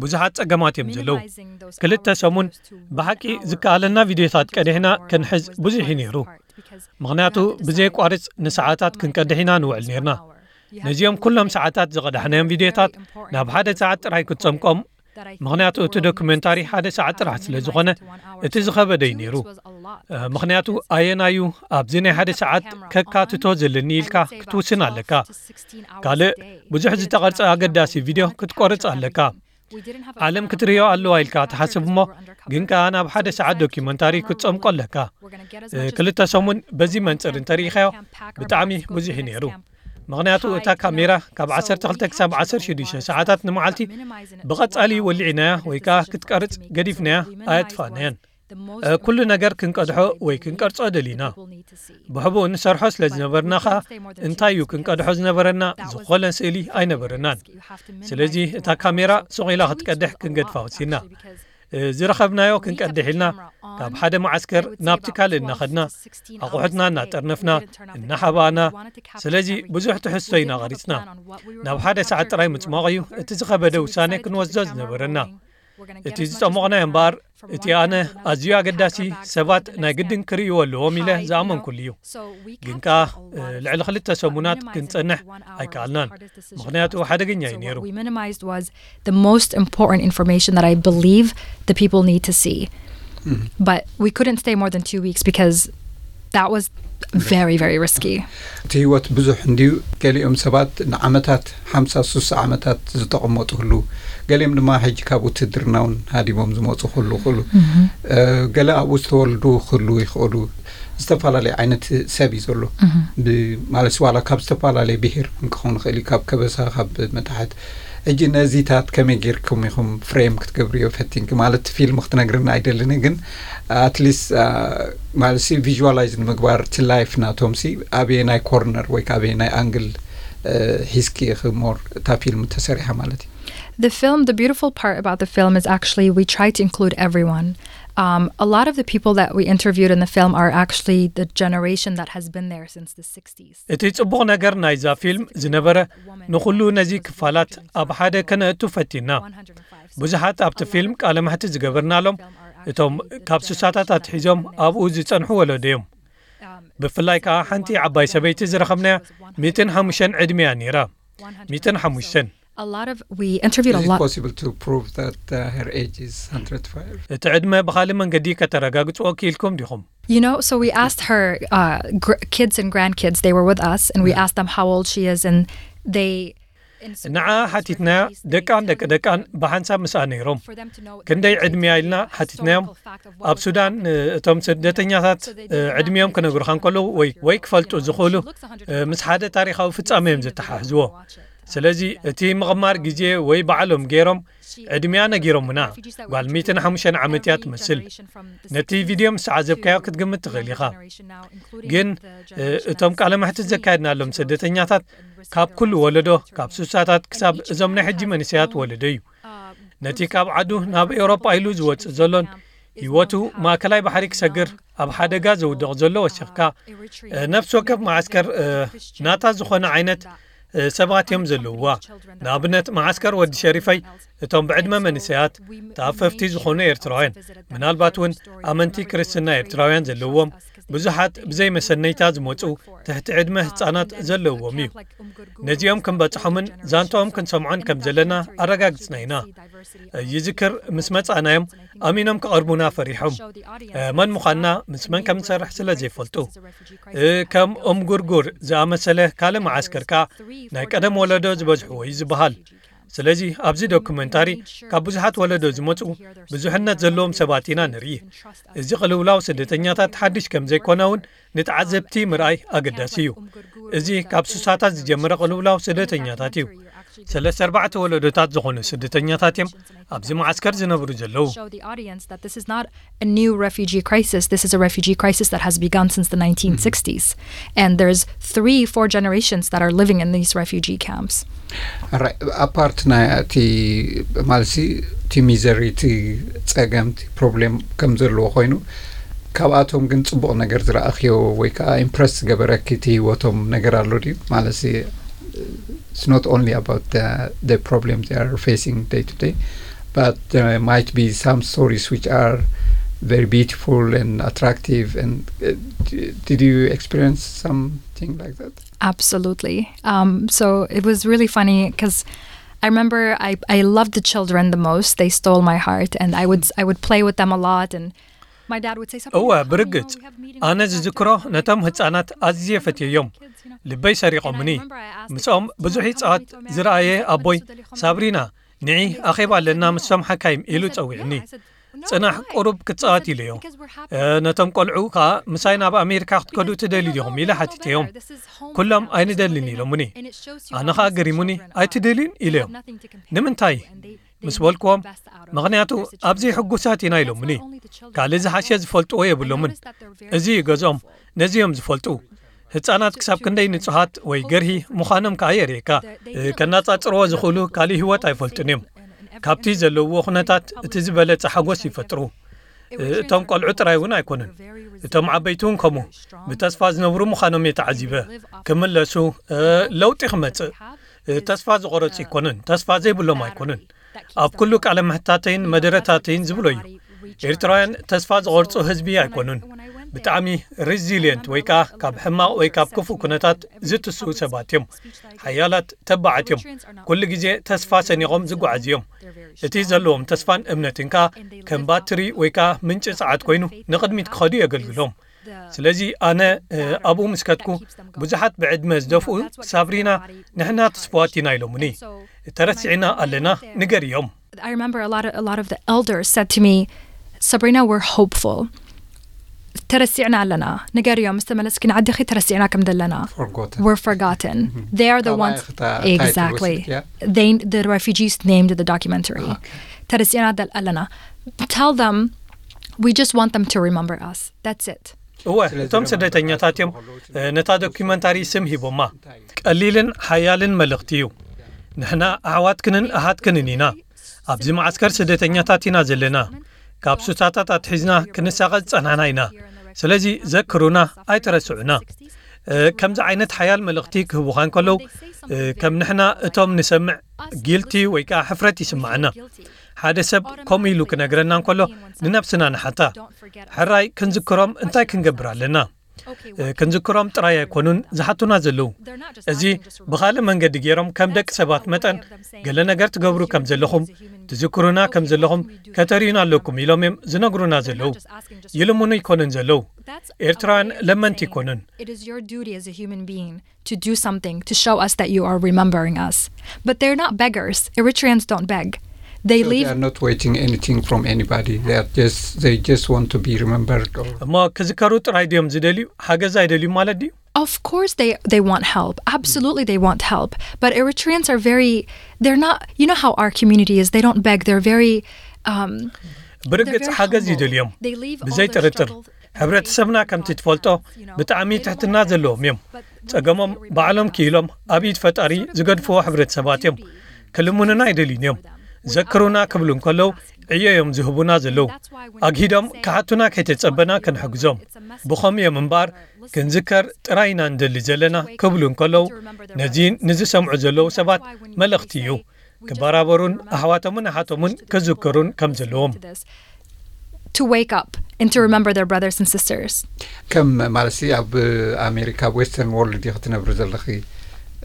ብዙሓት ጸገማት እዮም ዘለዉ። ክልተ ሰሙን ብሓቂ ዝከኣለና ቪድዮታት ቀዲሕና ክንሕዝ ብዙሕ እዩ ነይሩ። ምኽንያቱ ብዘየቋርጽ ንሰዓታት ክንቀድሕ ኢና ንውዕል ነይርና። ነዚኦም ኩሎም ሰዓታት ዝቐዳሕናዮም ቪድዮታት ናብ ሓደ ሰዓት ጥራይ ክትጸምቆም፣ ምኽንያቱ እቲ ዶኩመንታሪ ሓደ ሰዓት ጥራሕ ስለ ዝኾነ እቲ ዝኸበደ እዩ ነይሩ። ምኽንያቱ ኣየናዩ ኣብዚ ናይ ሓደ ሰዓት ከካትቶ ዘለኒ ኢልካ ክትውስን ኣለካ። ካልእ ብዙሕ ዝተቐርጸ ኣገዳሲ ቪድዮ ክትቆርጽ ኣለካ። ዓለም ክትርእዮ ኣለዋ ኢልካ ትሓስብ እሞ ግን ከኣ ናብ ሓደ ሰዓት ዶኪመንታሪ ክትጸምቆ ኣለካ። ክልተ ሰሙን በዚ መንጽር እንተርኢኻዮ ብጣዕሚ ብዙሕ እዩ ነይሩ። ምኽንያቱ እታ ካሜራ ካብ ዓሰርተ ክልተ ክሳብ ዓሰርተ ሽዱሽተ ሰዓታት ንመዓልቲ ብቐጻሊ ወሊዕናያ ወይ ከኣ ክትቀርጽ ገዲፍናያ ኣየጥፋእናያን። ኩሉ ነገር ክንቀድሖ ወይ ክንቀርጾ ደሊና። ብሕቡእ ንሰርሖ ስለ ዝነበርና ኸኣ እንታይ እዩ ክንቀድሖ ዝነበረና ዝኾነ ስእሊ ኣይነበረናን። ስለዚ እታ ካሜራ ሱቕ ኢላ ክትቀድሕ ክንገድፋ ወሲና። ዝረኸብናዮ ክንቀድሕ ኢልና ካብ ሓደ መዓስከር ናብቲ ካልእ እናኸድና ኣቑሑትና እናጠርነፍና እናሓባእና። ስለዚ ብዙሕ ትሕዝቶ ኢና ቐሪጽና። ናብ ሓደ ሰዓት ጥራይ ምጽማቕ እዩ እቲ ዝኸበደ ውሳነ ክንወስዶ ዝነበረና። እቲ ዝጠሞቕናዮ እምበኣር፣ እቲ ኣነ ኣዝዩ ኣገዳሲ፣ ሰባት ናይ ግድን ክርእይዎ ኣለዎም ኢለ ዝኣመንኩሉ እዩ። ግን ከኣ ልዕሊ ክልተ ሰሙናት ክንጸንሕ ኣይከኣልናን፣ ምኽንያቱ ሓደገኛ እዩ ነይሩ። The most important information that I believe the people need to see. But we couldn't stay more than two weeks because that was very, very risky. እቲ ህይወት ብዙሕ እንድዩ። ገሊኦም ሰባት ንዓመታት ሓምሳ ሱሳ ዓመታት ዝተቐመጡ ህሉ፣ ገሊኦም ድማ ሕጂ ካብ ውትድርና እውን ሃዲሞም ዝመፁ ክህሉ ክእሉ፣ ገለ ኣብኡ ዝተወልዱ ክህሉ ይኽእሉ። ዝተፈላለየ ዓይነት ሰብ እዩ ዘሎ። ማለት ዋላ ካብ ዝተፈላለየ ብሄር እውን ክኸውን ይኽእል እዩ፣ ካብ ከበሳ፣ ካብ መታሕት። ሕጂ ነዚታት ከመይ ጌርኩም ኢኹም ፍሬም ክትገብርዮ ፈቲንኪ? ማለት ፊልም ክትነግርና ኣይደልን፣ ግን ኣትሊስት ማለት ሲ ቪዥዋላይዝ ንምግባር እቲ ላይፍ ናቶም ሲ ኣበየ ናይ ኮርነር ወይ ኣበየ ናይ ኣንግል ሒዝኪ ኢኺ ሞር እታ ፊልም ተሰሪሓ ማለት እዩ። The film, the beautiful part about the film is actually we try to include everyone. Um, a lot of the people that we interviewed in the film are actually the generation that has been there since the sixties. እቲ ጽቡቕ ነገር ናይዛ ፊልም ዝነበረ፣ ንኹሉ ነዚ ክፋላት ኣብ ሓደ ከነእቱ ፈቲና። ብዙሓት ኣብቲ ፊልም ቃለ መሕትት ዝገበርናሎም እቶም ካብ ሱሳታት ኣትሒዞም ኣብኡ ዝጸንሑ ወለዶ እዮም። ብፍላይ ከኣ ሓንቲ ዓባይ ሰበይቲ ዝረኸብናያ ሚእትን ሓሙሽተን ዕድመያ ነይራ። ሚእትን ሓሙሽተን። A lot of we interviewed a Is it lot. Possible to prove that uh, her age is one hundred five? እቲ ዕድመ ብኻልእ መንገዲ ከተረጋግጽዎ ክኢልኩም ዲኹም? You know, so we asked her uh, gr- kids and grandkids. They were with us, and we asked them how old she is, and they. ንዓ ሓቲትናያ፣ ደቃን ደቂ ደቃን ብሓንሳብ ምስኣ ነይሮም። ክንደይ ዕድመያ ኢልና ሓቲትናዮም። ኣብ ሱዳን እቶም ስደተኛታት ዕድሚኦም ክነግሩኻ እንከለዉ ወይ ክፈልጡ ዝኽእሉ ምስ ሓደ ታሪኻዊ ፍጻመ እዮም ዘተሓሕዝዎ። ስለዚ እቲ ምቕማር ግዜ ወይ ባዕሎም ገይሮም ዕድሚያ ነጊሮምና። ጓል ሚእትን ሓሙሽተን ዓመት እያ ትመስል። ነቲ ቪድዮ ምስ ዓዘብካዮ ክትግምት ትኽእል ኢኻ። ግን እቶም ቃለ መሕትት ዘካየድናሎም ስደተኛታት ካብ ኩሉ ወለዶ፣ ካብ ሱሳታት ክሳብ እዞም ናይ ሕጂ መንእሰያት ወለዶ እዩ። ነቲ ካብ ዓዱ ናብ ኤውሮጳ ኢሉ ዝወጽእ ዘሎን ህይወቱ ማእከላይ ባሕሪ ክሰግር ኣብ ሓደጋ ዘውድቕ ዘሎ ወሲኽካ፣ ነፍሲ ወከፍ መዓስከር ናታ ዝኾነ ዓይነት ሰባት እዮም ዘለውዋ። ንኣብነት መዓስከር ወዲ ሸሪፈይ እቶም ብዕድመ መንእሰያት ተኣፈፍቲ ዝኾኑ ኤርትራውያን፣ ምናልባት እውን ኣመንቲ ክርስትና ኤርትራውያን ዘለውዎም ብዙሓት ብዘይ መሰነይታ ዝመጹ ትሕቲ ዕድመ ህጻናት ዘለውዎም እዩ። ነዚኦም ክንበጽሖምን ዛንታኦም ክንሰምዖን ከም ዘለና ኣረጋግጽና ኢና። ይዝክር ምስ መጻእናዮም ኣሚኖም ክቐርቡና ፈሪሖም። መን ምዃንና ምስ መን ከም ንሰርሕ ስለ ዘይፈልጡ። ከም እምጉርጉር ዝኣመሰለ ካልእ መዓስከር ከኣ ናይ ቀደም ወለዶ ዝበዝሕዎ እዩ ዝበሃል። ስለዚ ኣብዚ ዶኩመንታሪ ካብ ብዙሓት ወለዶ ዝመጹ ብዙሕነት ዘለዎም ሰባት ኢና ንርኢ። እዚ ቅልውላው ስደተኛታት ሓድሽ ከም ዘይኮነ እውን ንተዓዘብቲ ምርኣይ ኣገዳሲ እዩ። እዚ ካብ ሱሳታት ዝጀመረ ቅልውላው ስደተኛታት እዩ። ሰለስተ ኣርባዕተ ወለዶታት ዝኾኑ ስደተኛታት እዮም ኣብዚ መዓስከር ዝነብሩ ዘለዉ። Show the audience that this is not a new refugee crisis. This is a refugee crisis that has begun since the nineteen sixties. And there's three, four generations that are living in these refugee camps. ኣፓርት ናይ እቲ ማለትሲ እቲ ሚዘሪ፣ እቲ ጸገም፣ እቲ ፕሮብሌም ከም ዘለዎ ኮይኑ፣ ካብኣቶም ግን ጽቡቕ ነገር ዝረኣኽዮ ወይ ከዓ ኢምፕረስ ዝገበረኪ እቲ ህይወቶም ነገር ኣሎ ድዩ? ማለትሲ it's not only about the, the problem they are facing day to day, but there might be some stories which are very beautiful and attractive. And uh, d- did you experience something like that? Absolutely. Um, so it was really funny because I remember I, I loved the children the most. They stole my heart, and I would I would play with them a lot. And my dad would say something. እወ፣ ብርግጽ ኣነ ዝዝክሮ ነቶም ህጻናት ኣዝየ ፈትየዮም። ልበይ ሰሪቖምኒ። ምስኦም ብዙሕ ይጻወት ዝረኣየ ኣቦይ፣ ሳብሪና፣ ንዒ ኣኼባ ኣለና ምስቶም ሓካይም ኢሉ ጸዊዕኒ። ጽናሕ፣ ቁሩብ ክትጻወት ኢለዮ። ነቶም ቆልዑ ከኣ ምሳይ ናብ ኣሜሪካ ክትከዱ ትደልዩ ዲኹም ኢለ ሓቲተዮም። ኩሎም ኣይንደልን ኢሎምኒ። ኣነ ኸኣ ገሪሙኒ፣ ኣይትደልዩን ኢለዮም። ንምንታይ ምስ በልክዎም፣ ምኽንያቱ ኣብዚ ሕጉሳት ኢና ኢሎምኒ። ካልእ ዝሓሸ ዝፈልጥዎ የብሎምን። እዚ እዩ ገዝኦም፣ ነዚ እዮም ዝፈልጡ። ህጻናት ክሳብ ክንደይ ንጹሃት ወይ ገርሂ ምዃኖም ከኣ የርእየካ። ከነጻጽርዎ ዝኽእሉ ካልእ ህይወት ኣይፈልጡን እዮም። ካብቲ ዘለውዎ ኩነታት እቲ ዝበለጸ ሓጎስ ይፈጥሩ። እቶም ቆልዑ ጥራይ እውን ኣይኮኑን፣ እቶም ዓበይቲ እውን ከምኡ። ብተስፋ ዝነብሩ ምዃኖም እየ ተዓዚበ። ክምለሱ፣ ለውጢ ክመጽእ። ተስፋ ዝቖረጹ ኣይኮኑን፣ ተስፋ ዘይብሎም ኣይኮኑን። ኣብ ኩሉ ቃለ ምሕታተይን መደረታተይን ዝብሎ እዩ። ኤርትራውያን ተስፋ ዝቖርጹ ህዝቢ ኣይኮኑን። ብጣዕሚ ሪዚሊየንት ወይ ከኣ ካብ ሕማቕ ወይ ካብ ክፉእ ኩነታት ዝትስኡ ሰባት እዮም። ሓያላት ተባዓት እዮም። ኩሉ ግዜ ተስፋ ሰኒቖም ዝጓዓዙ እዮም። እቲ ዘለዎም ተስፋን እምነትን ከኣ ከም ባትሪ ወይ ከኣ ምንጪ ጸዓት ኮይኑ ንቕድሚት ክኸዱ የገልግሎም። ስለዚ ኣነ ኣብኡ ምስ ከድኩ ብዙሓት ብዕድመ ዝደፍኡ ሳብሪና ንሕና ትስፍዋት ኢና ኢሎምኒ። ተረሲዕና ኣለና ንገርዮም። I remember a lot of, a lot of the elders said to me, Sabrina, we're hopeful. ተረሲዕና ኣለና ንገርዮም፣ ምስ ተመለስኪ ንዓድኺ ተረሲዕና ከም ዘለና። Forgotten. We're forgotten. They are the ones. Exactly. They, the refugees named the documentary. ተረሲዕና ኣለና. Tell them we just want them to remember us. That's it. እወ፣ እቶም ስደተኛታት እዮም ነታ ዶኪመንታሪ ስም ሂቦማ። ቀሊልን ሓያልን መልእኽቲ እዩ። ንሕና ኣሕዋትክንን ኣሃትክንን ኢና። ኣብዚ መዓስከር ስደተኛታት ኢና ዘለና። ካብ ሱታታት ኣትሒዝና ክንሳቐ ዝጸናሕና ኢና። ስለዚ ዘክሩና፣ ኣይትረስዑና። ከምዚ ዓይነት ሓያል መልእኽቲ ክህቡኻ እንከለዉ፣ ከም ንሕና እቶም ንሰምዕ ጊልቲ ወይ ከኣ ሕፍረት ይስምዓና። ሓደ ሰብ ከምኡ ኢሉ ክነግረና እንከሎ ንነብስና ንሓታ። ሕራይ ክንዝክሮም እንታይ ክንገብር ኣለና? ክንዝክሮም ጥራይ ኣይኮኑን ዝሓቱና ዘለዉ። እዚ ብኻልእ መንገዲ ገይሮም ከም ደቂ ሰባት መጠን ገለ ነገር ትገብሩ ከም ዘለኹም፣ ትዝክሩና ከም ዘለኹም ከተርእዩና ኣለኩም ኢሎም እዮም ዝነግሩና ዘለዉ። ይልምኑ ኣይኮኑን ዘለዉ። ኤርትራውያን ለመንቲ ኣይኮኑን። It is your duty as a human being to do something to show us that you are remembering us. But they're not beggars. Eritreans don't beg. They So leave. They are not waiting anything from anybody. They are just they just want to be remembered. Or እሞ ክዝከሩ ጥራይ ድዮም ዝደልዩ? ሓገዝ ኣይደልዩ ማለት ድዩ? Of course they they want help. Absolutely they want help. But Eritreans are very, they're not, you know how our community is. They don't beg. They're very um ብርግጽ ሓገዝ ይደልዮም። ብዘይ ጥርጥር ሕብረተሰብና ከምቲ ትፈልጦ ብጣዕሚ ትሕትና ዘለዎም እዮም። ጸገሞም ባዕሎም ክኢሎም ኣብ ኢድ ፈጣሪ ዝገድፍዎ ሕብረተሰባት እዮም። ክልምኑና ኣይደልዩን እዮም። ዘክሩና ክብሉ እንከለዉ ዕዮ እዮም ዝህቡና ዘለዉ። ኣግሂዶም ክሓቱና ከይተጸበና ክንሕግዞም። ብኸም እዮም እምበኣር ክንዝከር ጥራይ ኢና ንደሊ ዘለና ክብሉ እንከለዉ ነዚ ንዝሰምዑ ዘለዉ ሰባት መልእኽቲ እዩ። ክበራበሩን ኣሕዋቶምን ኣሓቶምን ክዝክሩን ከም ዘለዎም። to wake up and to remember their brothers and sisters. ከም ማለት ሲ ኣብ ኣሜሪካ ኣብ western world ዲኺ ትነብሪ ዘለኺ?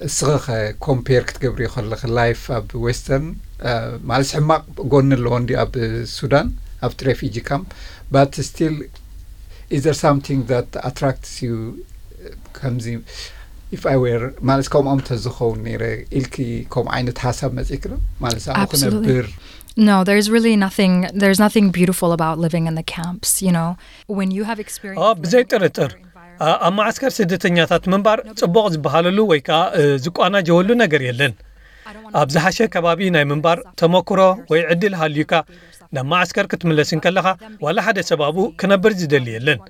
እስኺ ከ compare ክትገብሪ ከለኺ life ኣብ western ማለት ሕማቕ ጎኒ ኣለዎ እንዲ ኣብ ሱዳን ኣብቲ refugee camp, but still is there something that attracts you? ከምዚ if I were ማለት ከምኦም ተዝኸውን ነይረ ኢልኪ ከምኡ ዓይነት ሓሳብ መጺእኪ ዶ? ማለት ኣብኡ Absolutely. ክነብር No, there's really nothing, there's nothing beautiful about living in the camps, you know. When you have experienced ብዘይ ጥርጥር ኣብ ማዓስከር ስደተኛታት ምንባር ጽቡቕ ዝበሃለሉ ወይ ከኣ ዝቋናጀወሉ ነገር የለን። ኣብ ዝሓሸ ከባቢ ናይ ምንባር ተመክሮ ወይ ዕድል ሃልዩካ ናብ ማዓስከር ክትምለስ እንከለኻ ዋላ ሓደ ሰብ ኣብኡ ክነብር ዝደሊ የለን።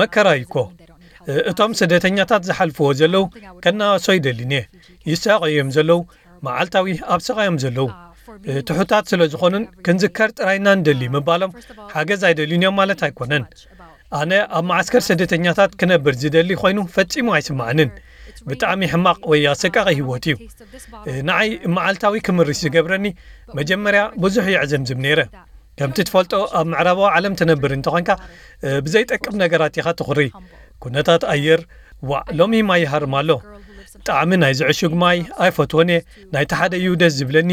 መከራ እዩ እኮ። እቶም ስደተኛታት ዝሓልፍዎ ዘለዉ ከናእሶ ይደሊን እየ። ይሳቐዩ እዮም ዘለዉ። መዓልታዊ ኣብ ስቓዮም ዘለዉ ትሑታት ስለ ዝኾኑን ክንዝከር ጥራይና ንደሊ ምባሎም ሓገዝ ኣይደልዩን እዮም ማለት ኣይኮነን። ኣነ ኣብ መዓስከር ስደተኛታት ክነብር ዝደሊ ኮይኑ ፈጺሙ ኣይስምዓንን። ብጣዕሚ ሕማቕ ወይ ኣሰቃቒ ህይወት እዩ። ንዓይ መዓልታዊ ክምርሽ ዝገብረኒ መጀመርያ ብዙሕ የዕዘምዝም ነይረ። ከምቲ ትፈልጦ ኣብ ምዕራባዊ ዓለም ትነብር እንተኾንካ ብዘይጠቅም ነገራት ኢኻ ትኹሪ። ኩነታት ኣየር ዋዕ ሎሚ ማይ ይሃርም ኣሎ። ጣዕሚ ናይዚ ዕሹግ ማይ ኣይፈትዎን እየ። ናይቲ ሓደ እዩ ደስ ዝብለኒ።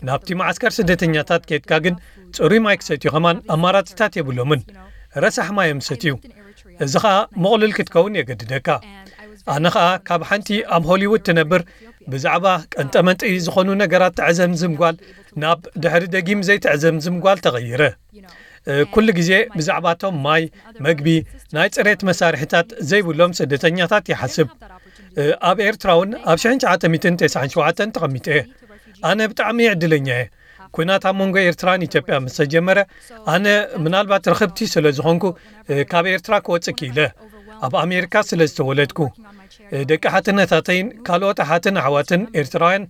ናብቲ መዓስከር ስደተኛታት ኬድካ ግን ጽሩይ ማይ ክሰትዩ ከማን ኣማራጺታት የብሎምን። ረሳሕ ማይ እዮም ዝሰትዩ። እዚ ኸኣ ምቕሉል ክትከውን የገድደካ። ኣነ ኸኣ ካብ ሓንቲ ኣብ ሆሊውድ ትነብር ብዛዕባ ቀንጠመንጢ ዝኾኑ ነገራት ተዕዘምዝም ጓል ናብ ድሕሪ ደጊም ዘይተዕዘምዝም ጓል ተቐይረ። ኩሉ ግዜ ብዛዕባ እቶም ማይ፣ መግቢ፣ ናይ ጽሬት መሳርሒታት ዘይብሎም ስደተኛታት ይሓስብ። ኣብ ኤርትራ እውን ኣብ ሽሕን ትሽዓተ ሚእትን ተስዓን ሸውዓተን ተቐሚጠ እየ። ኣነ ብጣዕሚ ዕድለኛ እየ። ኲናት ኣብ መንጎ ኤርትራን ኢትዮጵያ ምስ ተጀመረ ኣነ ምናልባት ርኽብቲ ስለ ዝኾንኩ ካብ ኤርትራ ክወጽእ ክኢለ። ኣብ ኣሜሪካ ስለ ዝተወለድኩ ደቂ ሓትነታተይን ካልኦት ኣሓትን ኣሕዋትን ኤርትራውያን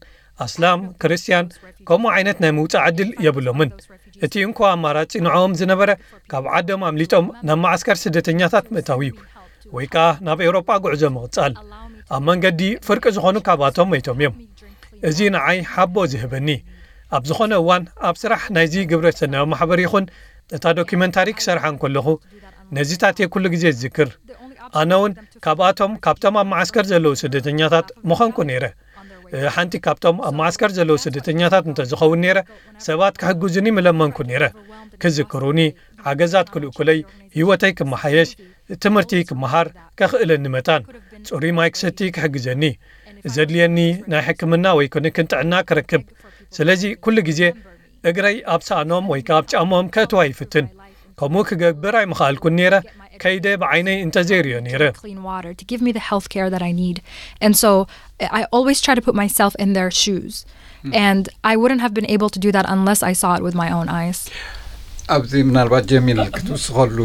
ኣስላም፣ ክርስትያን፣ ከምኡ ዓይነት ናይ ምውጻእ ዕድል የብሎምን። እቲ እንኮ ኣማራጺ ንዕኦም ዝነበረ ካብ ዓዶም ኣምሊጦም ናብ መዓስከር ስደተኛታት ምእታው እዩ፣ ወይ ከኣ ናብ ኤውሮጳ ጉዕዞ ምቕጻል። ኣብ መንገዲ ፍርቂ ዝኾኑ ካብኣቶም መይቶም እዮም። እዚ ንዓይ ሓቦ ዝህበኒ። ኣብ ዝኾነ እዋን ኣብ ስራሕ ናይዚ ግብረ ሰናይ ማሕበር ይኹን እታ ዶኪመንታሪ ክሰርሓ እንከለኹ ነዚታት እየ ኩሉ ግዜ ዝዝክር። ኣነ እውን ካብኣቶም ካብቶም ኣብ መዓስከር ዘለዉ ስደተኛታት ምኾንኩ ነይረ። ሓንቲ ካብቶም ኣብ መዓስከር ዘለዉ ስደተኛታት እንተዝኸውን ነይረ ሰባት ክሕግዙኒ ምለመንኩ ነይረ። ክዝክሩኒ፣ ሓገዛት ክልእኩለይ፣ ህይወተይ ክመሓየሽ፣ ትምህርቲ ክመሃር ከኽእለኒ መታን፣ ጽሩይ ማይ ክሰቲ ክሕግዘኒ፣ ዘድልየኒ ናይ ሕክምና ወይ ክንክን ጥዕና ክረክብ። ስለዚ ኩሉ ግዜ እግረይ ኣብ ሳእኖም ወይ ከኣ ኣብ ጫሞም ከእትዋ ይፍትን። ከምኡ ክገብር ኣይምኽኣልኩን ነይረ፣ ከይደ ብዓይነይ እንተዘይርእዮ ነይረ። Clean water to give me the health care that I need. And so I always try to put myself in their shoes. And I wouldn't have been able to do that unless I saw it with my own eyes. ኣብዚ ምናልባት ጀሚል ክትውስኸሉ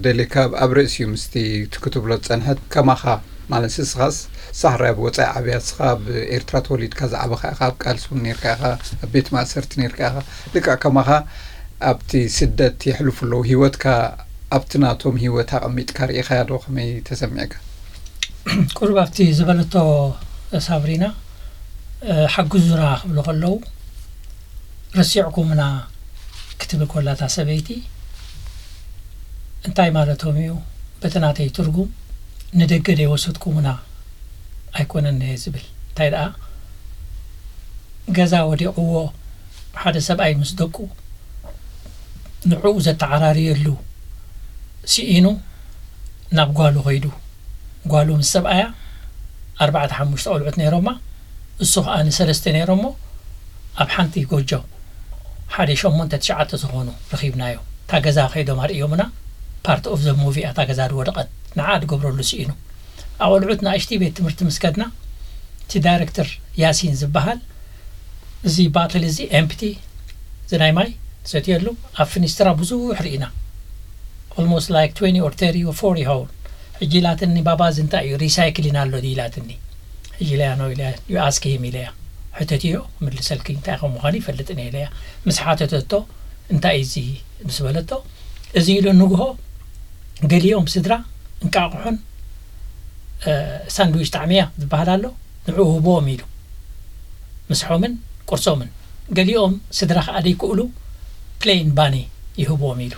ደሊካ ኣብ ርእሲ እዩ ምስቲ ክትብሎ ዝጸንሐት ከማኻ ማለት ንስኻስ ሳሕራይ ኣብ ወጻኢ ዓብያ ንስኻ ኣብ ኤርትራ ተወሊድካ ዝዓበኻ ኢኻ ኣብ ቃልሲ እውን ነርካ ኢኻ ኣብ ቤት ማእሰርቲ ነርካ ኢኻ ልክዕ ከማኻ ኣብቲ ስደት የሕልፉ ኣለዉ ህይወትካ ኣብቲ ናቶም ህይወት ኣቐሚጥካ ርኢኻያ ዶ ከመይ ተሰሚዕካ ቁሩብ ኣብቲ ዝበለቶ ሳብሪና ሓግዙና ክብሉ ከለዉ ረሲዕኩምና ክትብል ኮላ እታ ሰበይቲ እንታይ ማለቶም እዩ በቲ ናተይ ትርጉም ንደገ ደይወሰድኩምና ኣይኮነን እየ ዝብል እንታይ ደኣ ገዛ ወዲቕዎ ሓደ ሰብኣይ ምስ ደቁ ንዕኡ ዘተዓራርየሉ ስኢኑ ናብ ጓሉ ከይዱ ጓሉ ምስ ሰብኣያ ኣርባዕተ ሓሙሽተ ቆልዑት ነይሮማ እሱ ከዓ ንሰለስተ ነይሮሞ ኣብ ሓንቲ ጎጆ ሓደ ሸሞንተ ትሽዓተ ዝኾኑ ረኺብናዮ እታ ገዛ ከይዶም ኣርእዮምና part of the movie እያ እታ ገዛ ዝወደቐት ንዓ ዝገብረሉ ስኢኑ ኣቆልዑት ንኣሽቲ ቤት ትምህርቲ ምስ ከድና እቲ ዳይረክተር ያሲን ዝበሃል እዚ ባትል እዚ empty እዚ ናይ ማይ ትሰትየሉ ኣብ ፍኒስትራ ብዙሕ ርኢና almost like twenty or thirty or forty ይኸውን ሕጂ ኢላትኒ ባባ እዚ እንታይ እዩ recycling ኣሎ ድዩ ኢላትኒ ሕጂ ኢለያ no ኢለያ you ask him ኢለያ ሕተትዮ ክምልሰልኪ እንታይ ከም ምዃኑ ይፈልጥን እየ ኢለያ ምስ ሓተተቶ እንታይ እዩ እዚ ምስ በለቶ እዚ ኢሉ ንግሆ ገሊኦም ስድራ እንቃቑሖን ሳንድዊች ጣዕሚ እያ ዝበሃል ኣሎ ንዕኡ ህብዎም ኢሉ ምስሖምን ቁርሶምን ገሊኦም ስድራ ከዓ ደይክእሉ ፕሌን ባኒ ይህብዎም ኢሉ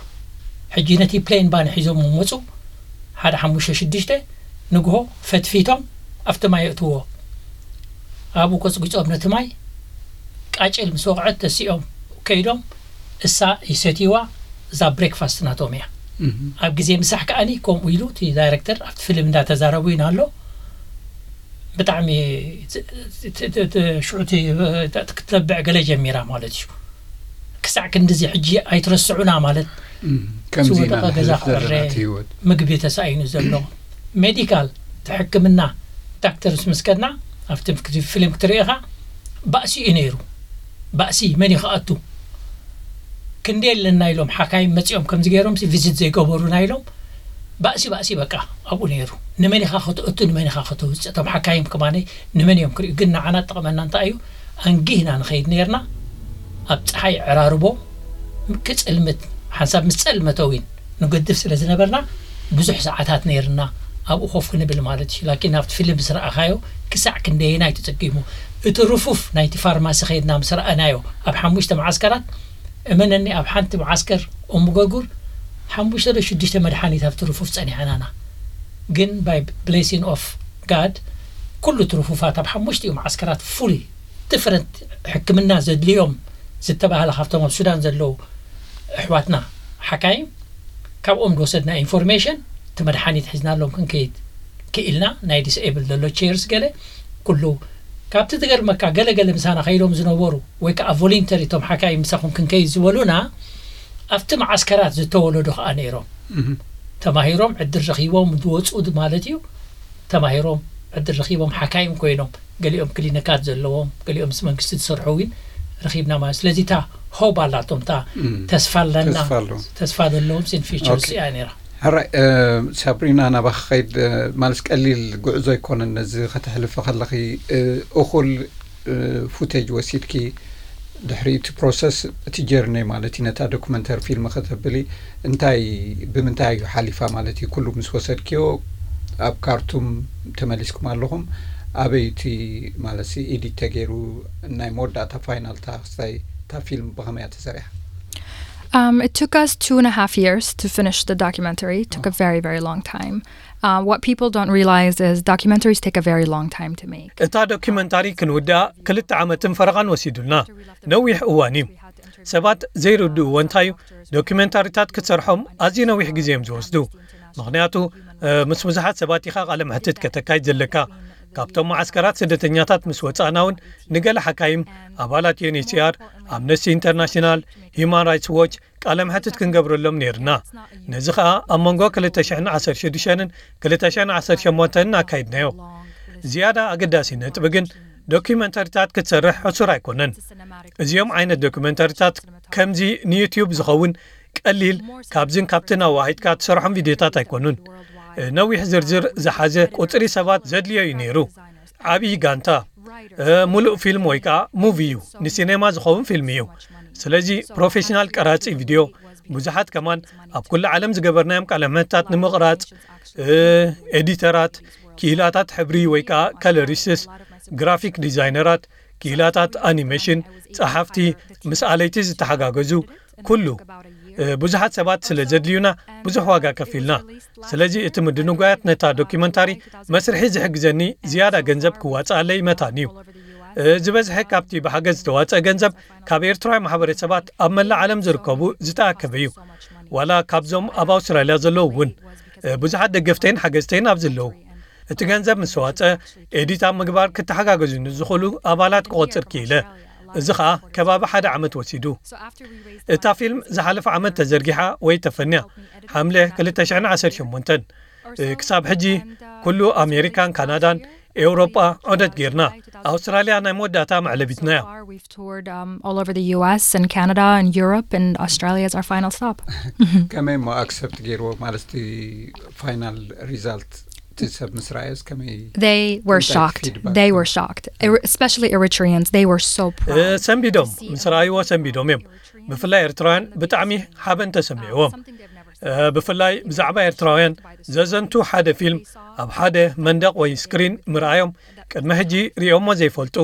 ሕጂ ነቲ ፕሌን ባኒ ሒዞም መፁ ሓደ ሓሙሽተ ሽዱሽተ ንግሆ ፈትፊቶም ኣብቲ ማይ የእትዎ ኣብኡ ቆፅጒፆም ነቲ ማይ ቃጭል ምስ ወቕዐት ተሲኦም ከይዶም እሳ ይሰትይዋ እዛ breakfast ናቶም እያ ኣብ ግዜ ምሳሕ ከዓኒ ከምኡ ኢሉ እቲ ዳይረክተር ኣብቲ ፊልም እንዳተዛረቡ ኢና ኣሎ ብጣዕሚ ሽዑ ክትለብዕ ገለ ጀሚራ ማለት እዩ ክሳዕ ክንድዚ ሕጂ ኣይትረስዑና ማለት ዝወደቐ ገዛ ክዕረ ምግቢ ተሳኢኑ ዘሎ ሜዲካል ሕክምና ዳክተርስ ምስ ከድና ኣብቲ ፊልም ክትርኢ ኢኻ ባእሲ እዩ ነይሩ ባእሲ መን ይኽኣቱ ክንደይ ኣለና ኢሎም ሓካይም መፂኦም ከምዚ ገይሮም ቪዚት ዘይገበሩና ኢሎም ባእሲ ባእሲ በቃ ኣብኡ ነይሩ ንመን ኢኻ ከተእቱ ንመን ኢኻ ከተውፅእ እቶም ሓካይም ከማነ ንመን እዮም ክርእዩ ግን ንዓና ጠቕመና እንታይ እዩ ኣንጊህና ንኸይድ ነርና ኣብ ፀሓይ ዕራርቦ ክፅልምት ሓንሳብ ምስ ፀልመተ ዊን ንገድፍ ስለ ዝነበርና ብዙሕ ሰዓታት ነይርና ኣብኡ ኮፍ ክንብል ማለት እዩ ላኪን ኣብቲ ፊልም ምስ ረኣኻዮ ክሳዕ ክንደየናይ ተፀጊሙ እቲ ርፉፍ ናይቲ ፋርማሲ ከይድና ምስ ረኣናዮ ኣብ ሓሙሽተ መዓስከራት እመነኒ ኣብ ሓንቲ መዓስከር ኦምጎጉር ሓሙሽተ ዶ ሽዱሽተ መድሓኒት ኣብቲ ርፉፍ ፀኒሓናና ግን by blessing of God ኩሉ እቲ ርፉፋት ኣብ ሓሙሽቲኡ መዓስከራት fully different ሕክምና ዘድልዮም ዝተባህለ ካብቶም ኣብ ሱዳን ዘለዉ ኣሕዋትና ሓካይም ካብኦም ዝወሰድና ኢንፎርሜሽን እቲ መድሓኒት ሒዝናሎም ክንከይድ ክኢልና ናይ ዲስኤብል ዘሎ ቸርስ ገለ ኩሉ ካብቲ ትገርመካ ገለገለ ምሳና ከይዶም ዝነበሩ ወይ ከዓ ቮሊንተሪ እቶም ሓካይም ምሳኹም ክንከይድ ዝበሉና ኣብቲ መዓስከራት ዝተወለዱ ከዓ ነይሮም ተማሂሮም ዕድል ረኺቦም ዝወፁ ማለት እዩ ተማሂሮም ዕድል ረኺቦም ሓካይም ኮይኖም ገሊኦም ክሊኒካት ዘለዎም ገሊኦም ምስ መንግስቲ ዝሰርሑ እውን ረኺብና ማለት ስለዚ እታ ሆብ ኣላቶም እታ ተስፋ ኣለና ተስፋ ዘለዎም ሲን ፊቸርስ እያ ነራ ሕራይ ሳብሪና ናባኻ ኸይድ ማለት ቀሊል ጉዕዞ ኣይኮነን ነዚ ከተሕልፈ ከለኺ እኹል ፉቴጅ ወሲድኪ ድሕሪ እቲ ፕሮሰስ እቲ ጀርኒ ማለት እዩ ነታ ዶክመንተሪ ፊልም ከተብሊ እንታይ ብምንታይ እዩ ሓሊፋ ማለት እዩ ኩሉ ምስ ወሰድክዮ ኣብ ካርቱም ተመሊስኩም ኣለኹም ኣበይ እቲ ማለት ኢዲት ተገይሩ ናይ መወዳእታ ፋይናል ታክስታይ እታ ፊልም ብኸመይ እያ ተሰሪሓ? Um, it took us two and a half years to finish the documentary. It took a very, very long time. Uh, what people don't realize is documentaries take a very long time to make. እታ ዶኪመንታሪ ክንውድኣ ክልተ ዓመትን ፈረቓን ወሲዱልና። ነዊሕ እዋን እዩ። ሰባት ዘይርድእዎ እንታይ እዩ፣ ዶኪመንታሪታት ክትሰርሖም ኣዝዩ ነዊሕ ግዜ እዮም ዝወስዱ። ምኽንያቱ ምስ ብዙሓት ሰባት ኢኻ ቃለ መሕትት ከተካይድ ዘለካ። ካብቶም መዓስከራት ስደተኛታት ምስ ወጻእና እውን ንገለ ሓካይም፣ ኣባላት ዩኤንኤችሲኣር፣ ኣምነስቲ ኢንተርናሽናል፣ ሂዩማን ራይትስ ዎች ቃለ መሕትት ክንገብረሎም ነይርና። ነዚ ኸኣ ኣብ መንጎ ክልተ ሽሕን ዓሰርተ ሽዱሽተን ክልተ ሽሕን ዓሰርተ ሸሞንተን ኣካይድናዮ። ዝያዳ ኣገዳሲ ነጥቢ ግን ዶኪመንተሪታት ክትሰርሕ ሕሱር ኣይኮነን። እዚኦም ዓይነት ዶኪመንተሪታት ከምዚ ንዩትዩብ ዝኸውን ቀሊል ካብዝን ካብትን ኣዋሂድካ ትሰርሖም ቪድዮታት ኣይኮኑን። ነዊሕ ዝርዝር ዝሓዘ ቁጽሪ ሰባት ዘድልዮ እዩ ነይሩ። ዓብዪ ጋንታ፣ ሙሉእ ፊልም ወይ ከዓ ሙቪ እዩ። ንሲኔማ ዝኸውን ፊልም እዩ። ስለዚ ፕሮፌሽናል ቀራጺ ቪድዮ፣ ብዙሓት ከማን ኣብ ኩሉ ዓለም ዝገበርናዮም ቃለ መሕትታት ንምቕራጽ፣ ኤዲተራት፣ ክኢላታት ሕብሪ ወይ ከዓ ከለሪስትስ፣ ግራፊክ ዲዛይነራት፣ ክኢላታት ኣኒሜሽን፣ ጸሓፍቲ፣ ምስ ኣለይቲ ዝተሓጋገዙ፣ ኩሉ ብዙሓት ሰባት ስለ ዘድልዩና ብዙሕ ዋጋ ከፊልና። ስለዚ እቲ ምድንጓያት ነታ ዶኪመንታሪ መስርሒ ዝሕግዘኒ ዝያዳ ገንዘብ ክዋጽኣለይ መታን እዩ። ዝበዝሐ ካብቲ ብሓገዝ ዝተዋጽአ ገንዘብ ካብ ኤርትራውያን ማሕበረሰባት ኣብ መላእ ዓለም ዝርከቡ ዝተኣከበ እዩ። ዋላ ካብዞም ኣብ ኣውስትራልያ ዘለዉ እውን ብዙሓት ደገፍተይን ሓገዝተይን ኣብዚ ኣለዉ። እቲ ገንዘብ ምስ ተዋጸ ኤዲት ኣብ ምግባር ክተሓጋገዙኒ ዝኽእሉ ኣባላት ክቖጽር ክኢለ። እዚ ኸኣ ከባቢ ሓደ ዓመት ወሲዱ። እታ ፊልም ዝሓለፈ ዓመት ተዘርጊሓ ወይ ተፈንያ፣ ሓምለ ክልተ ሽሕን ዓሰርተ ሸሞንተን። ክሳብ ሕጂ ኩሉ ኣሜሪካን ካናዳን ኤውሮጳ ዑደት ጌርና። ኣውስትራልያ ናይ መወዳእታ መዕለቢትናያ። We've toured um, all over the U S and Canada and Europe, and Australia is our final stop. ከመይ እሞ ኣክሰፕት ገይርዎ ማለት እቲ ፋይናል ሪዛልት እቲ ሰብ ምስ ረኣዮስ ከመይ? They were እንታይ shocked. ፊድባክ? They were shocked. Er- Especially Eritreans, they were so proud. ሰንቢዶም፣ ምስ ረኣይዎ ሰንቢዶም እዮም። ብፍላይ ኤርትራውያን ብጣዕሚ ሓበን ተሰሚዕዎም። ብፍላይ ብዛዕባ ኤርትራውያን ዘዘንቱ ሓደ ፊልም ኣብ ሓደ መንደቕ ወይ ስክሪን ምርኣዮም፣ ቅድሚ ሕጂ ሪኦሞ ዘይፈልጡ፣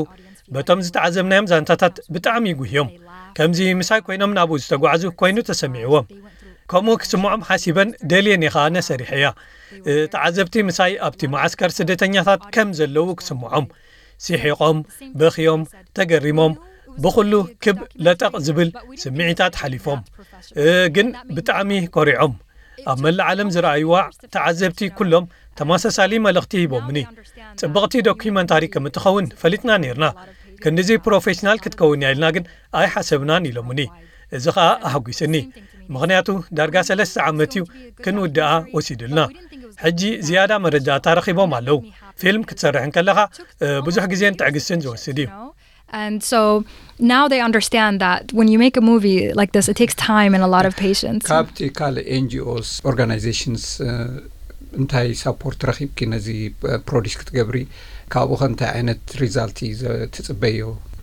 በቶም ዝተዓዘብናዮም ዛንታታት ብጣዕሚ ይጉህዮም። ከምዚ ምሳይ ኮይኖም ናብኡ ዝተጓዕዙ ኮይኑ ተሰሚዕዎም። ከምኡ ክስምዖም ሓሲበን ደልየን እየ ኸኣ ነሰሪሐያ። ተዓዘብቲ ምሳይ ኣብቲ መዓስከር ስደተኛታት ከም ዘለዉ ክስምዖም፣ ሲሒቖም፣ በኽዮም፣ ተገሪሞም፣ ብኹሉ ክብ ለጠቕ ዝብል ስምዒታት ሓሊፎም። ግን ብጣዕሚ ኮሪዖም። ኣብ መላእ ዓለም ዝረኣይዋ ተዓዘብቲ ኩሎም ተመሳሳሊ መልእኽቲ ሂቦምኒ። ጽብቕቲ ዶኪመንታሪ ከም እትኸውን ፈሊጥና ነይርና። ክንድዚ ፕሮፌሽናል ክትከውን እያ ኢልና ግን ኣይሓሰብናን ኢሎምኒ። እዚ ኸኣ ኣሐጒስኒ። ምኽንያቱ ዳርጋ ሰለስተ ዓመት እዩ ክንውድኣ ወሲዱልና። ሕጂ ዝያዳ መረዳእታ ረኺቦም ኣለዉ። ፊልም ክትሰርሕ እንከለኻ ብዙሕ ግዜን ትዕግስትን ዝወስድ እዩ። And so now they understand that when you make a movie like this, it takes time and a lot of patience. ካብቲ ካልእ ኤንጂኦስ ኦርጋናይዜሽንስ እንታይ ሳፖርት ረኺብኪ ነዚ ፕሮዲስ ክትገብሪ? ካብኡ ከ እንታይ ዓይነት ሪዛልት እዩ ትጽበዮ?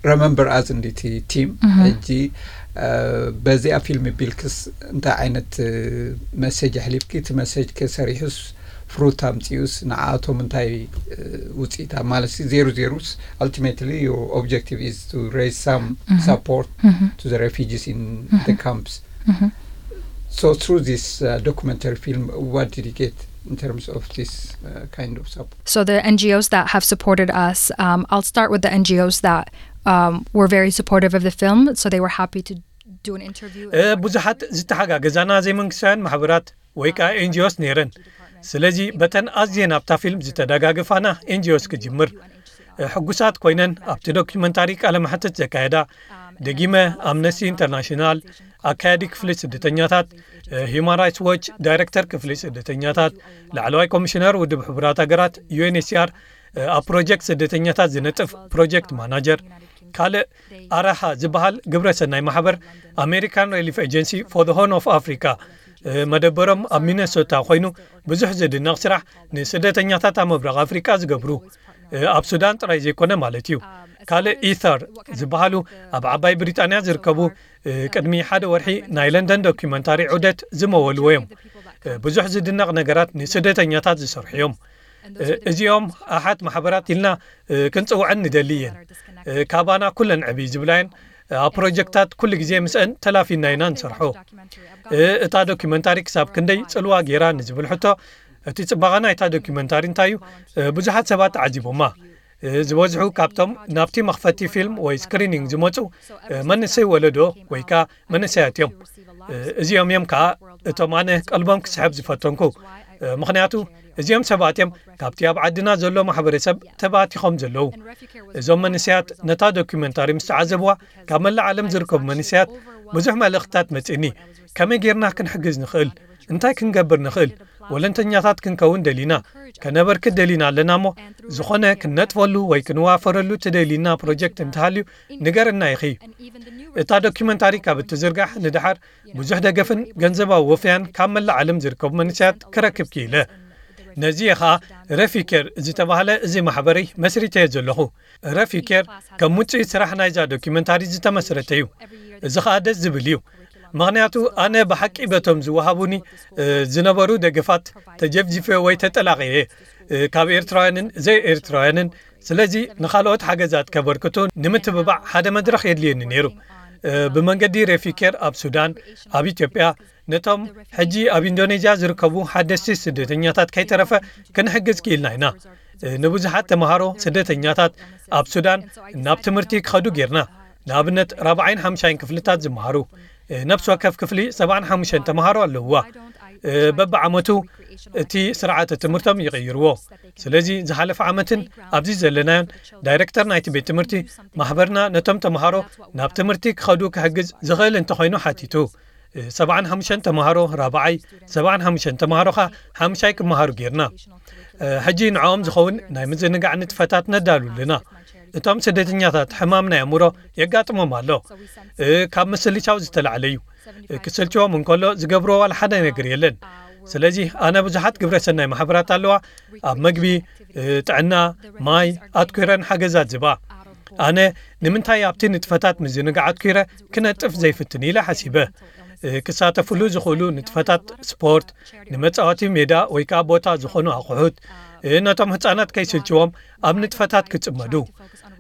ረመምበር ኣዝ እንዲቲ ቲም ሕጂ በዚኣ ፊልም ቢልክስ እንታይ ዓይነት መሴጅ ኣሕሊፍኪ? እቲ መሴጅ ከ ሰሪሑስ ፍሩት ኣምጺኡስ ንዓኣቶም እንታይ ውፅኢት ማለት ዜሩ ዜሩስ? Ultimately your objective is to raise some support to the refugees in the camps. So through this uh, documentary film, what did you get in terms of this uh, kind of support? So the N G Os that have supported us, um, I'll start with the N G Os that um, were very supportive of the film. So they were happy to do an interview. ብዙሓት ዝተሓጋገዛና ዘይመንግስታውያን ማሕበራት ወይ ከዓ ኤንጂኦስ ነይረን። ስለዚ በተን ኣዝየን ኣብታ ፊልም ዝተደጋገፋና ኤንጂኦስ ክጅምር። ሕጉሳት ኮይነን ኣብቲ ዶኪመንታሪ ቃለ መሕትት ዘካየዳ ደጊመ ኣምነስቲ ኢንተርናሽናል፣ ኣካያዲ ክፍሊ ስደተኛታት፣ ሂዩማን ራይትስ ዎች ዳይሬክተር ክፍሊ ስደተኛታት፣ ላዕለዋይ ኮሚሽነር ውድብ ሕቡራት ሃገራት ዩኤንኤችሲኣር፣ ኣብ ፕሮጀክት ስደተኛታት ዝነጥፍ ፕሮጀክት ማናጀር፣ ካልእ ኣራሃ ዝበሃል ግብረ ሰናይ ማሕበር፣ ኣሜሪካን ሪሊፍ ኤጀንሲ for the Horn of Africa፣ መደበሮም ኣብ ሚነሶታ ኮይኑ ብዙሕ ዝድነቕ ስራሕ ንስደተኛታት ኣብ ምብራቕ ኣፍሪቃ ዝገብሩ፣ ኣብ ሱዳን ጥራይ ዘይኮነ ማለት እዩ። ካልእ ኢተር ዝበሃሉ ኣብ ዓባይ ብሪጣንያ ዝርከቡ ቅድሚ ሓደ ወርሒ ናይ ለንደን ዶኪመንታሪ ዑደት ዝመወልዎ እዮም። ብዙሕ ዝድነቕ ነገራት ንስደተኛታት ዝሰርሑ እዮም። እዚኦም ኣሓት ማሕበራት ኢልና ክንጽውዐን ንደሊ እየን። ካባና ኩለን ዕብይ ዝብላየን ኣብ ፕሮጀክታት ኩሉ ግዜ ምስአን ተላፊና ኢና ንሰርሖ። እታ ዶኪመንታሪ ክሳብ ክንደይ ጽልዋ ገይራ ንዝብል ሕቶ፣ እቲ ጽባቐ ናይታ ዶኪመንታሪ እንታይ እዩ? ብዙሓት ሰባት ተዓዚቦማ። ዝበዝሑ ካብቶም ናብቲ መኽፈቲ ፊልም ወይ ስክሪኒንግ ዝመጹ መንእሰይ ወለዶ ወይ ከኣ መንእሰያት እዮም። እዚኦም እዮም ከኣ እቶም ኣነ ቀልቦም ክስሕብ ዝፈተንኩ። ምኽንያቱ እዚኦም ሰባት እዮም ካብቲ ኣብ ዓድና ዘሎ ማሕበረሰብ ተባቲኾም ዘለዉ። እዞም መንእሰያት ነታ ዶኪመንታሪ ምስ ተዓዘብዋ፣ ካብ መላእ ዓለም ዝርከቡ መንእሰያት ብዙሕ መልእኽትታት መጺእኒ። ከመይ ጌርና ክንሕግዝ ንኽእል? እንታይ ክንገብር ንኽእል? ወለንተኛታት ክንከውን ደሊና፣ ከነበርክት ደሊና ኣለና እሞ፣ ዝኾነ ክንነጥፈሉ ወይ ክንዋፈረሉ ትደሊና ፕሮጀክት እንተሃልዩ ንገርና ኢኺ። እታ ዶኪመንታሪ ካብ እትዝርጋሕ ንደሓር ብዙሕ ደገፍን ገንዘባዊ ወፍያን ካብ መላእ ዓለም ዝርከቡ መንእሰያት ክረክብ ክኢለ። ነዚ እየ ኸኣ ረፊ ኬር ዝተባህለ እዚ ማሕበረይ መስሪተዮ ዘለኹ። ረፊ ኬር ከም ውጽኢት ስራሕ ናይዛ ዶኪመንታሪ ዝተመስረተ እዩ። እዚ ኸኣ ደስ ዝብል እዩ። ምኽንያቱ ኣነ ብሓቂ በቶም ዝወሃቡኒ፣ እ፣ ዝነበሩ ደገፋት ተጀፍጂፈ ወይ ተጠላቒየ፣ እ፣ ካብ ኤርትራውያንን ዘይኤርትራውያንን። ስለዚ ንኻልኦት ሓገዛት ከበርክቱ ንምትብባዕ ሓደ መድረኽ የድልየኒ ነይሩ። እ፣ ብመንገዲ ረፊ ኬር ኣብ ሱዳን፣ ኣብ ኢትዮጵያ፣ ነቶም ሕጂ ኣብ ኢንዶኔዥያ ዝርከቡ ሓደስቲ ስደተኛታት ከይተረፈ ክንሕግዝ ክኢልና ኢና። እ፣ ንብዙሓት ተምሃሮ ስደተኛታት ኣብ ሱዳን ናብ ትምህርቲ ክኸዱ ጌርና። ንኣብነት ራብዓይን ሓምሻይን ክፍልታት ዝመሃሩ፣ እ፣ ነፍሲ ወከፍ ክፍሊ ሰብዓን ሓሙሽተን ተምሃሮ ኣለውዋ። እ፣ በብዓመቱ እቲ ስርዓተ ትምህርቶም ይቕይርዎ። ስለዚ ዝሓለፈ ዓመትን ኣብዚ ዘለናዮን ዳይሬክተር ናይቲ ቤት ትምህርቲ ማሕበርና ነቶም ተምሃሮ ናብ ትምህርቲ ክኸዱ ክሕግዝ ዝኽእል እንተኾይኑ ሓቲቱ። እ፣ ሰብዓን ሓሙሽተን ተምሃሮ ራብዓይ፣ ሰብዓን ሓሙሽተን ተምሃሮ ኸኣ ሓምሻይ ክመሃሩ ጌርና። እ፣ ሕጂ ንዕኦም ዝኸውን ናይ ምዝንጋዕ ንጥፈታት ነዳሉ ኣለና። እቶም ስደተኛታት ሕማም ናይ ኣእምሮ የጋጥሞም ኣሎ። እ፣ ካብ ምስልቻው ዝተላዕለ እዩ። እ፣ ክስልችዎም እንከሎ ዝገብርዎ ዋላ ሓደ ነገር የለን። ስለዚ ኣነ ብዙሓት ግብረ ሰናይ ማሕበራት ኣለዋ። ኣብ መግቢ፣ እ፣ ጥዕና፣ ማይ ኣትኲረን ሓገዛት ዝባ። ኣነ ንምንታይ ኣብቲ ንጥፈታት ምዝንጋዕ ኣትኲረ ክነጥፍ ዘይፍትን ኢለ ሓሲበ። እ፣ ክሳተፍሉ ዝኽእሉ ንጥፈታት ስፖርት፣ ንመጻወቲ ሜዳ ወይ ከኣ ቦታ ዝኾኑ ኣቑሑት፣ እ፣ ነቶም ህጻናት ከይስልችዎም ኣብ ንጥፈታት ክጽመዱ።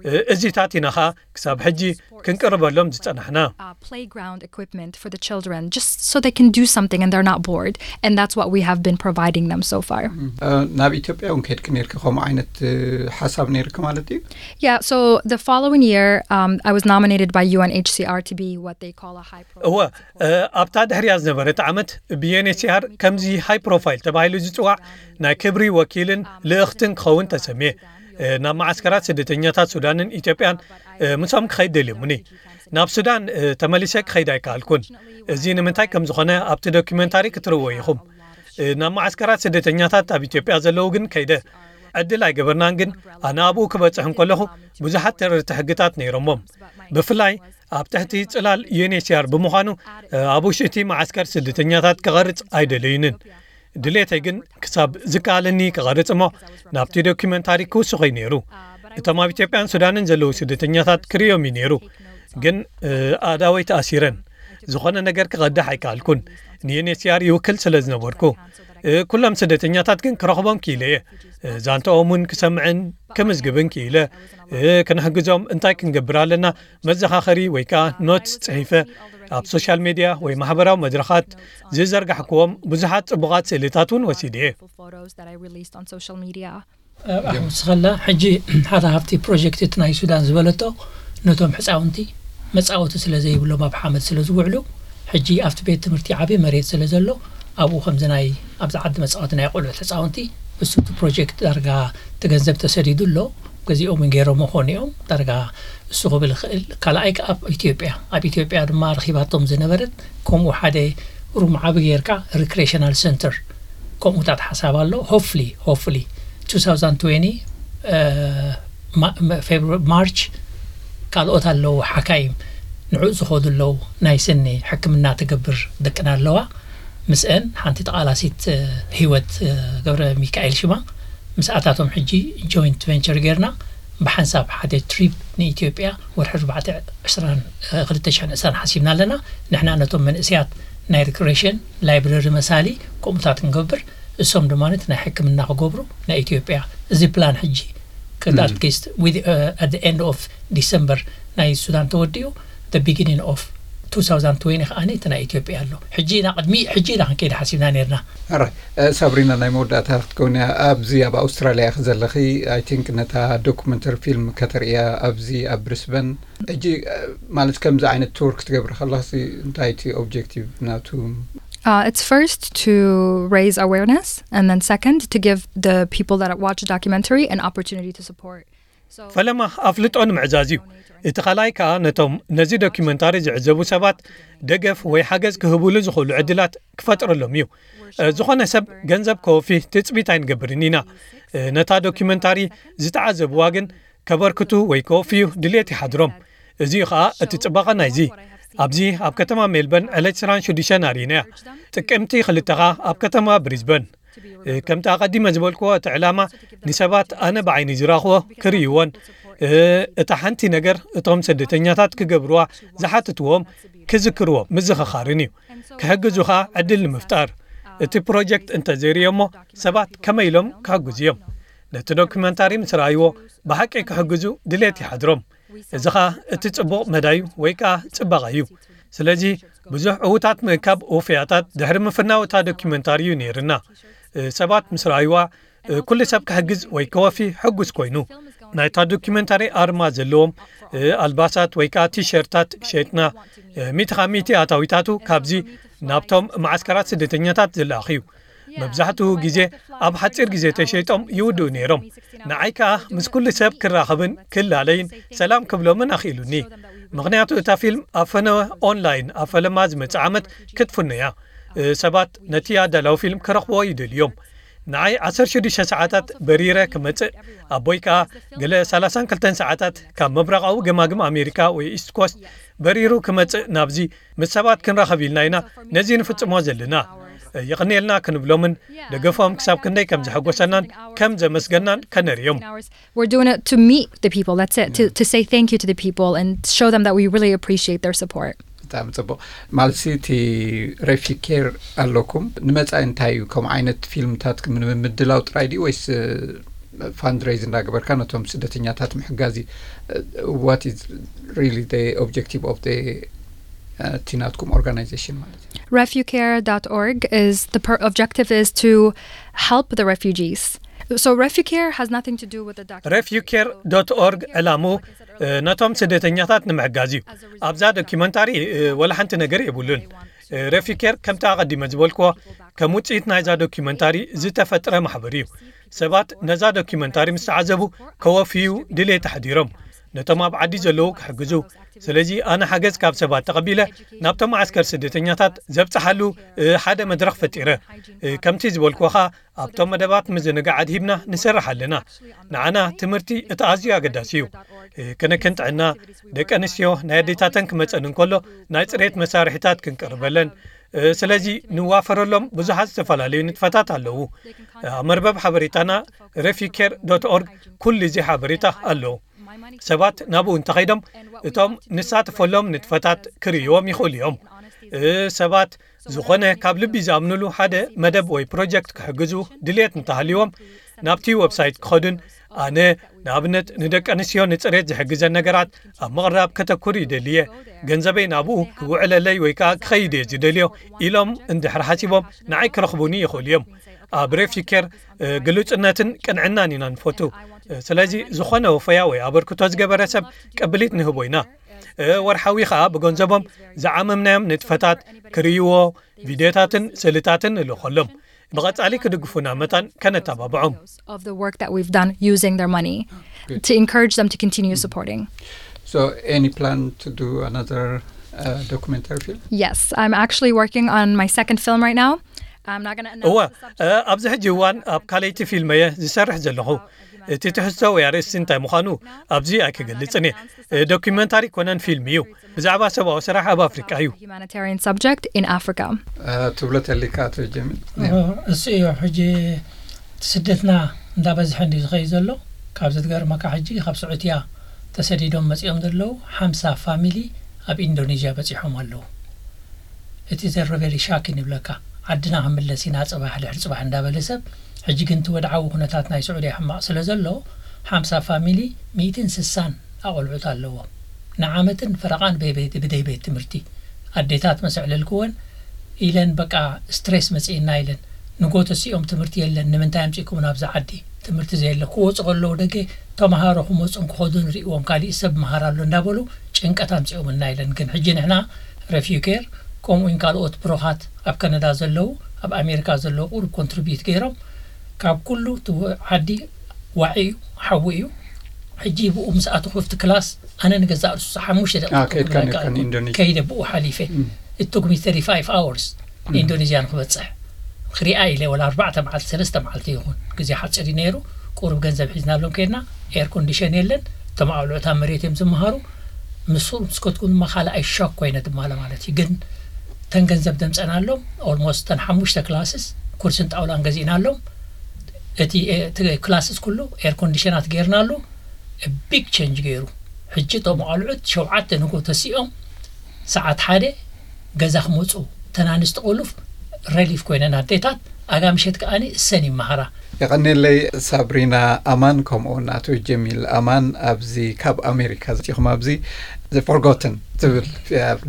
እ፣ እዚታት ኢና ኸኣ ክሳብ ሕጂ ክንቅርበሎም ዝጸናሕና። Uh, playground equipment for the children, just so they can do something and they're not bored. And that's what we have been providing them so far. እ፣ ናብ ኢትዮጵያ እውን ከድኪ ነርኪ ከምኡ ዓይነት እ፣ ሓሳብ ነርኪ ማለት እዩ? Yeah, so the following year, um, I was nominated by U N H C R to be what they call a high profile. እወ፣ እ፣ ኣብታ ድሕሪያ ዝነበረት ዓመት ብዩኤንኤችሲኣር ከምዚ ሃይ ፕሮፋይል ተባሂሉ ዝጽዋዕ ናይ ክብሪ ወኪልን ልእኽትን ክኸውን ተሰምየ። እ፣ ናብ መዓስከራት ስደተኛታት ሱዳንን ኢትዮጵያን፣ እ፣ ምሶም ክኸይድ ደልዮምኒ። ናብ ሱዳን፣ እ፣ ተመሊሰ ክኸይድ ኣይከኣልኩን። እዚ ንምንታይ ከም ዝኾነ ኣብቲ ዶኪመንታሪ ክትርእዎ ኢኹም። እ፣ ናብ መዓስከራት ስደተኛታት ኣብ ኢትዮጵያ ዘለዉ ግን ከይደ ዕድል ኣይገበርናን። ግን ኣነ ኣብኡ ክበጽሕ እንከለኹ ብዙሓት ተረርቲ ሕግታት ነይሮሞም። ብፍላይ ኣብ ትሕቲ ጽላል ዩኤንኤችሲኣር ብምዃኑ፣ እ፣ ኣብ ውሽጢ እቲ መዓስከር ስደተኛታት ክቐርጽ ኣይደለዩንን። ድሌተይ ግን ክሳብ ዝከኣለኒ ክቐርጽ እሞ ናብቲ ዶኪመንታሪ ክውስኾይ ነይሩ። እቶም ኣብ ኢትዮጵያን ሱዳንን ዘለዉ ስደተኛታት ክርእዮም እዩ ነይሩ። ግን፣ እ፣ ኣእዳወይ ተኣሲረን። ዝኾነ ነገር ክቐድሕ ኣይከኣልኩን። ንዩኤንኤችሲኣር ይውክል ስለ ዝነበርኩ። እ፣ ኩሎም ስደተኛታት ግን ክረኽቦም ክኢለ እየ። እ፣ ዛንታኦም እውን ክሰምዕን ክምዝግብን ክኢለ። እ፣ ክንሕግዞም እንታይ ክንገብር ኣለና መዘኻኸሪ ወይ ከኣ ኖትስ ጽሒፈ ኣብ ሶሻል ሜድያ ወይ ማሕበራዊ መድረኻት ዝዘርጋሕክዎም ብዙሓት ጽቡቓት ስእልታት እውን ወሲደ እየ። Photos that I released on social media. ኣብኣ ክትወስኸላ ሕጂ ሓደ ሃፍቲ ፕሮጀክት እቲ ናይ ሱዳን ዝበለቶ ነቶም ሕፃውንቲ መጻወቲ ስለ ዘይብሎም ኣብ ሓመድ ስለ ዝውዕሉ ሕጂ ኣብቲ ቤት ትምህርቲ ዓቢ መሬት ስለ ዘሎ ኣብኡ ከምዚ ናይ ኣብዚ ዓዲ መጻወቲ ናይ ቆልዑት ሕፃውንቲ እሱ እቲ ፕሮጀክት ዳርጋ እቲ ገንዘብ ተሰዲዱ ኣሎ። ገዚኦም እውን ገይሮሞ ኾኑ እዮም ዳርጋ እሱ ክብል ይኽእል። ካልኣይ ከኣ ኣብ ኢትዮጵያ ኣብ ኢትዮጵያ ድማ ረኺባቶም ዝነበረት ከምኡ ሓደ ሩም ዓቢ ጌርካ ሪክሬሽናል ሰንተር ከምኡታት ሓሳብ ኣሎ። ሆፍሊ ሆፍሊ two thousand twenty ማርች ካልኦት ኣለዉ ሓካይም ንዕኡ ዝኸዱ ኣለዉ ናይ ስኒ ሕክምና ትገብር ደቅና ኣለዋ። ምስአን ሓንቲ ተቓላሲት ህይወት ገብረ ሚካኤል ሽማ ምስኣታቶም ሕጂ ጆይንት ቨንቸር ጌርና ብሓንሳብ ሓደ ትሪፕ ንኢትዮጵያ ወርሒ ኣርባዕተ ዕስራን ክልተ ሽሕን ዕስራን ሓሲብና ኣለና። ንሕና ነቶም መንእሰያት ናይ ሪክሬሽን ላይብረሪ መሳሊ ከምኡታት ክንገብር እሶም ድማ እቲ ናይ ሕክምና ክገብሩ ናይ ኢትዮጵያ እዚ ፕላን ሕጂ at least at the end of December ናይ ሱዳን ተወዲኡ the beginning of two thousand twenty ከኣ እቲ ናይ ኢትዮጵያ ኣሎ። ሕጂ ኢና ቅድሚ ሕጂ ኢና ክንከይድ ሓሲብና ነርና። ኣራይ ሳብሪና፣ ናይ መወዳእታ ክትከውን እያ። ኣብዚ ኣብ ኣውስትራልያ ኢኺ ዘለኺ፣ I think ነታ ዶኩመንተሪ ፊልም ከተርእያ ኣብዚ ኣብ ብሪስበን። ሕጂ ማለት ከምዚ ዓይነት ቱር ክትገብሪ ከለኽሲ እንታይ እቲ ኦብጀክቲቭ ናቱ? Uh, it's first to raise awareness, and then second to give the people that watch the documentary an opportunity to support. ፈለማ ኣፍልጦ ንምዕዛዝ እዩ። እቲ ካልኣይ ከኣ ነቶም ነዚ ዶኪመንታሪ ዝዕዘቡ ሰባት ደገፍ ወይ ሓገዝ ክህቡሉ ዝኽእሉ ዕድላት ክፈጥረሎም እዩ። ዝኾነ ሰብ ገንዘብ ከወፊ ትጽቢት ኣይንገብርን ኢና። ነታ ዶኪመንታሪ ዝተዓዘብዋ ግን ከበርክቱ ወይ ከወፍዩ ድሌት ይሓድሮም። እዚ ከኣ እቲ ጽባቐ ናይዚ። ኣብዚ ኣብ ከተማ ሜልበርን ዕለት ዕስራን ሽዱሽተን ኣርኢናያ። ጥቅምቲ ክልተ ከኣ ኣብ ከተማ ብሪዝበን። ከምቲ ኣቐዲመ ዝበልክዎ፣ እቲ ዕላማ ንሰባት ኣነ ብዓይኒ ዝረኽቦ ክርእይዎን እታ ሓንቲ ነገር እቶም ስደተኛታት ክገብርዋ ዝሓትትዎም ክዝክርዎ ምዝኽኻርን እዩ። ክሕግዙኻ ዕድል ንምፍጣር። እቲ ፕሮጀክት እንተዘይርእዮ እሞ ሰባት ከመይ ኢሎም ክሕግዙ እዮም? ነቲ ዶኩመንታሪ ምስ ረኣይዎ ብሓቂ ክሕግዙ ድሌት ይሓድሮም። እዚ ኸኣ እቲ ጽቡቕ መዳዩ ወይ ከኣ ጽባቐ እዩ። ስለዚ ብዙሕ ዕዉታት ምእካብ ውፍያታት ድሕሪ ምፍናው እታ ዶኪመንታሪ እዩ ነይርና። ሰባት ምስ ረኣይዋ ኩሉ ሰብ ክሕግዝ ወይ ከወፊ ሕጉስ ኮይኑ። ናይታ ዶኪመንታሪ ኣርማ ዘለዎም ኣልባሳት ወይ ከኣ ቲሸርታት ሸይጥና። ሚእቲ ካብ ሚእቲ ኣታዊታቱ ካብዚ ናብቶም መዓስከራት ስደተኛታት ዝለኣኽ እዩ። መብዛሕትኡ ግዜ ኣብ ሓጺር ግዜ ተሸይጦም ይውድኡ ነይሮም። ንዓይ ከኣ ምስ ኩሉ ሰብ ክራኸብን ክላለይን ሰላም ክብሎምን ኣኽኢሉኒ። ምኽንያቱ እታ ፊልም ኣብ ፈነወ ኦንላይን ኣብ ፈለማ ዝመጽእ ዓመት ክትፍኖ እያ። ሰባት ነቲ ኣዳላዊ ፊልም ክረኽብዎ ይደልዩ እዮም። ንዓይ ዓሰርተ ሽዱሽተ ሰዓታት በሪረ ክመጽእ፣ ኣቦይ ከኣ ገለ ሰላሳን ክልተን ሰዓታት ካብ ምብራቓዊ ገማግም ኣሜሪካ ወይ ኢስት ኮስት በሪሩ ክመጽእ ናብዚ ምስ ሰባት ክንራኸብ ኢልና ኢና ነዚ ንፍጽሞ ዘለና። የቕንየልና ክንብሎምን ደገፎም ክሳብ ክንደይ ከም ዘሐጎሰናን ከም ዘመስገናን ከነርእዮም። We're doing it to meet the people. That's it. To, to say thank you to the people and show them that we really appreciate their support. ብጣዕሚ ጽቡቕ። ማለትሲ እቲ ሬፊ ኬር ኣለኩም፣ ንመጻኢ እንታይ እዩ? ከምኡ ዓይነት ፊልምታት ምድላው ጥራይ ድዩ ወይስ ፋንድሬይዝ እንዳገበርካ ነቶም ስደተኛታት ምሕጋዝ እዩ? What is really the objective of the እቲ ናትኩም ኦርጋናይዜሽን ማለት እዩ? Refucare dot org is the per- objective is to help the refugees. So Refucare has nothing to do with the documentary. Refucare dot org ዕላሙ ነቶም ስደተኛታት ንምሕጋዝ እዩ። ኣብዛ ዶኪመንታሪ ወላ ሓንቲ ነገር የብሉን። ሬፊኬር ከምቲ ኣቐዲመ ዝበልክዎ ከም ውፅኢት ናይዛ ዶኪመንታሪ ዝተፈጥረ ማሕበር እዩ። ሰባት ነዛ ዶኪመንታሪ ምስ ተዓዘቡ ከወፍዩ ድሌት ኣሕዲሮም ነቶም ኣብ ዓዲ ዘለዉ ክሕግዙ። ስለዚ ኣነ ሓገዝ ካብ ሰባት ተቐቢለ ናብቶም መዓስከር ስደተኛታት ዘብጽሓሉ ሓደ መድረኽ ፈጢረ። ከምቲ ዝበልክዎ ኸኣ ኣብቶም መደባት ምዝንጋዕ ኣድሂብና ንሰርሕ ኣለና። ንዓና ትምህርቲ እቲ ኣዝዩ ኣገዳሲ እዩ። ክንክን ጥዕና ደቂ ኣንስትዮ ናይ ኣዴታተን ክመጸን እንከሎ ናይ ጽሬት መሳርሒታት ክንቅርበለን። ስለዚ ንዋፈረሎም ብዙሓት ዝተፈላለዩ ንጥፈታት ኣለዉ። ኣብ መርበብ ሓበሬታና refucare dot org ኩሉ እዚ ሓበሬታ ኣሎ። ሰባት ናብኡ እንተኸይዶም እቶም ንሳተፈሎም ንጥፈታት ክርእይዎም ይኽእሉ እዮም። ሰባት ዝኾነ ካብ ልቢ ዝኣምንሉ ሓደ መደብ ወይ ፕሮጀክት ክሕግዙ ድልየት እንተሃልይዎም ናብቲ ዌብሳይት ክኸዱን ኣነ ንኣብነት ንደቂ ኣንስትዮ ንፅሬት ዝሕግዘን ነገራት ኣብ ምቕራብ ከተኩር ይደልየ፣ ገንዘበይ ናብኡ ክውዕለለይ ወይ ከዓ ክኸይድ እየ ዝደልዮ ኢሎም እንድሕር ሓሲቦም ንዓይ ክረኽቡኒ ይኽእሉ እዮም። ኣብ ሬፊኬር ግሉጽነትን ቅንዕናን ኢና ንፈቱ። ስለዚ ዝኾነ ወፈያ ወይ ኣበርክቶ ዝገበረ ሰብ ቅብሊት ንህቦ ኢና። ወርሓዊ ኸኣ ብገንዘቦም ዝዓመምናዮም ንጥፈታት ክርእይዎ ቪድዮታትን ስእልታትን ንልእኸሎም። ብቐጻሊ ክድግፉና መታን ከነተባብዖም። Of the work that we've done using their money to encourage them to continue supporting. So any plan to do another uh, documentary film? Yes, I'm actually working on my second film right now. I'm not going to እወ announce the subject. ኣብዚ ሕጂ እዋን ኣብ ካልኣይቲ ፊልመየ ዝሰርሕ ዘለኹ። እቲ ትሕዝቶ ወይ ኣርእስቲ እንታይ ምዃኑ ኣብዚ ኣይክገልጽን እየ። ዶኪመንታሪ ኮነን ፊልም እዩ። ብዛዕባ ሰብኣዊ ስራሕ ኣብ ኣፍሪቃ እዩ። Humanitarian subject in Africa. ትብሎ ተሊካ ኣቶ ጀሚል? እሱ እዩ ሕጂ እቲ ስደትና እንዳበዝሐ እንዲ ዝኸይ ዘሎ። ካብ ዘትገርመካ ሕጂ ካብ ስዑትያ ተሰዲዶም መጺኦም ዘለዉ ሓምሳ ፋሚሊ ኣብ ኢንዶኔዥያ በጺሖም ኣለዉ። እቲ ዘረበሊ ሻክ ንብለካ። ዓድና ክምለስ ኢና ጽባሕ ድሕሪ ጽባሕ እንዳበለ ሰብ። ሕጂ ግን እቲ ወድዓዊ ኩነታት ናይ ስዑድያ ሕማቕ ስለ ዘሎ ሓምሳ ፋሚሊ ሚእትን ስሳን ኣቆልዑት ኣለዎም። ንዓመትን ፈረቓን ብደይ ቤት ትምህርቲ ኣዴታት መሰዕለልክወን ኢለን በቃ ስትሬስ መጽእና ኢለን ንጎ ተሲኦም ትምህርቲ የለን ንምንታይ ኣምጺእኩም ናብዚ ዓዲ ትምህርቲ ዘየለ ክወፁ ከለዉ ደገ ተምሃሮ ክመፁን ክኸዱን ሪእዎም ካሊእ ሰብ መሃር ኣሎ እንዳበሉ ጭንቀት ኣምጺኦምና ኢለን ግን ሕጂ ንሕና ረፊዩ ኬር ከምኡ ውን ካልኦት ብሮኻት ኣብ ከነዳ ዘለዉ ኣብ ኣሜሪካ ዘለዉ ቁሩብ ኮንትሪቢዩት ገይሮም ካብ ኩሉ እቲ ዓዲ ዋዒ እዩ ሓዊ እዩ ሕጂ ብኡ ምስ ኣተኹ ኣብቲ ክላስ ኣነ ንገዛእ ርእሱ ሓሙሽተ ደቂቕ ከይድካ ነርካ ኢንዶኔዥያ ከይደ ብኡ ሓሊፈ it took me thirty-five hours ኢንዶኔዥያ ንክበፅሕ ክሪኣ ኢለ ወላ ኣርባዕተ መዓልቲ ሰለስተ መዓልቲ ይኹን ግዜ ሓፂር እዩ ነይሩ ቁሩብ ገንዘብ ሒዝናሎም ከይድና ኤር ኮንዲሽን የለን እቶም ኣውልዑት ኣብ መሬት እዮም ዝመሃሩ ምስ ምስ ከትኩ ድማ ካልኣይ ሾክ ኮይነ ድማ ማለት እዩ ግን ተን ገንዘብ ደምፀናሎም almost ተን ሓሙሽተ ክላስስ ኩርስን ጣውላን ገዚእናሎም እቲ ክላስስ ኩሉ ኤር ኮንዲሽናት ገይርናሉ big change ገይሩ ሕጂ እቶም ኣልዑት ሸውዓተ ንጎ ተሲኦም ሰዓት ሓደ ገዛ ክመፁ ተናንስቲ ቁሉፍ ረሊፍ ኮይነን ኣዴታት ኣጋ ምሸት ከኣኒ እሰን ይመሃራ የቐኔለይ ሳብሪና ኣማን ከምኡውን ኣቶ ጀሚል ኣማን ኣብዚ ካብ ኣሜሪካ ዚኹም ኣብዚ The Forgotten ትብል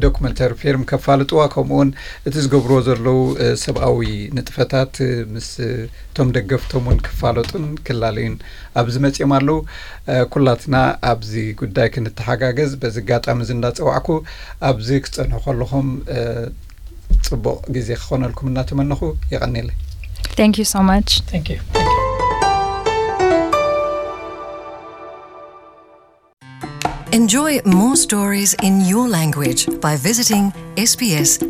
ዶክመንተሪ ፊልም ከፋልጥዋ ከምኡውን እቲ ዝገብርዎ ዘለዉ ሰብኣዊ ንጥፈታት ምስ እቶም ደገፍቶም እውን ክፋለጡን ክላለዩን ኣብዚ መፅኦም ኣለዉ ኩላትና ኣብዚ ጉዳይ ክንተሓጋገዝ በዚ ኣጋጣሚ እዚ እንዳፀዋዕኩ ኣብዚ ክፀንሑ ከለኹም ፅቡቕ ግዜ ክኾነልኩም እናተመነኹ የቐኔለይ Thank you so much. Thank you. Thank you. Enjoy more stories in your language by visiting sbs.com.au.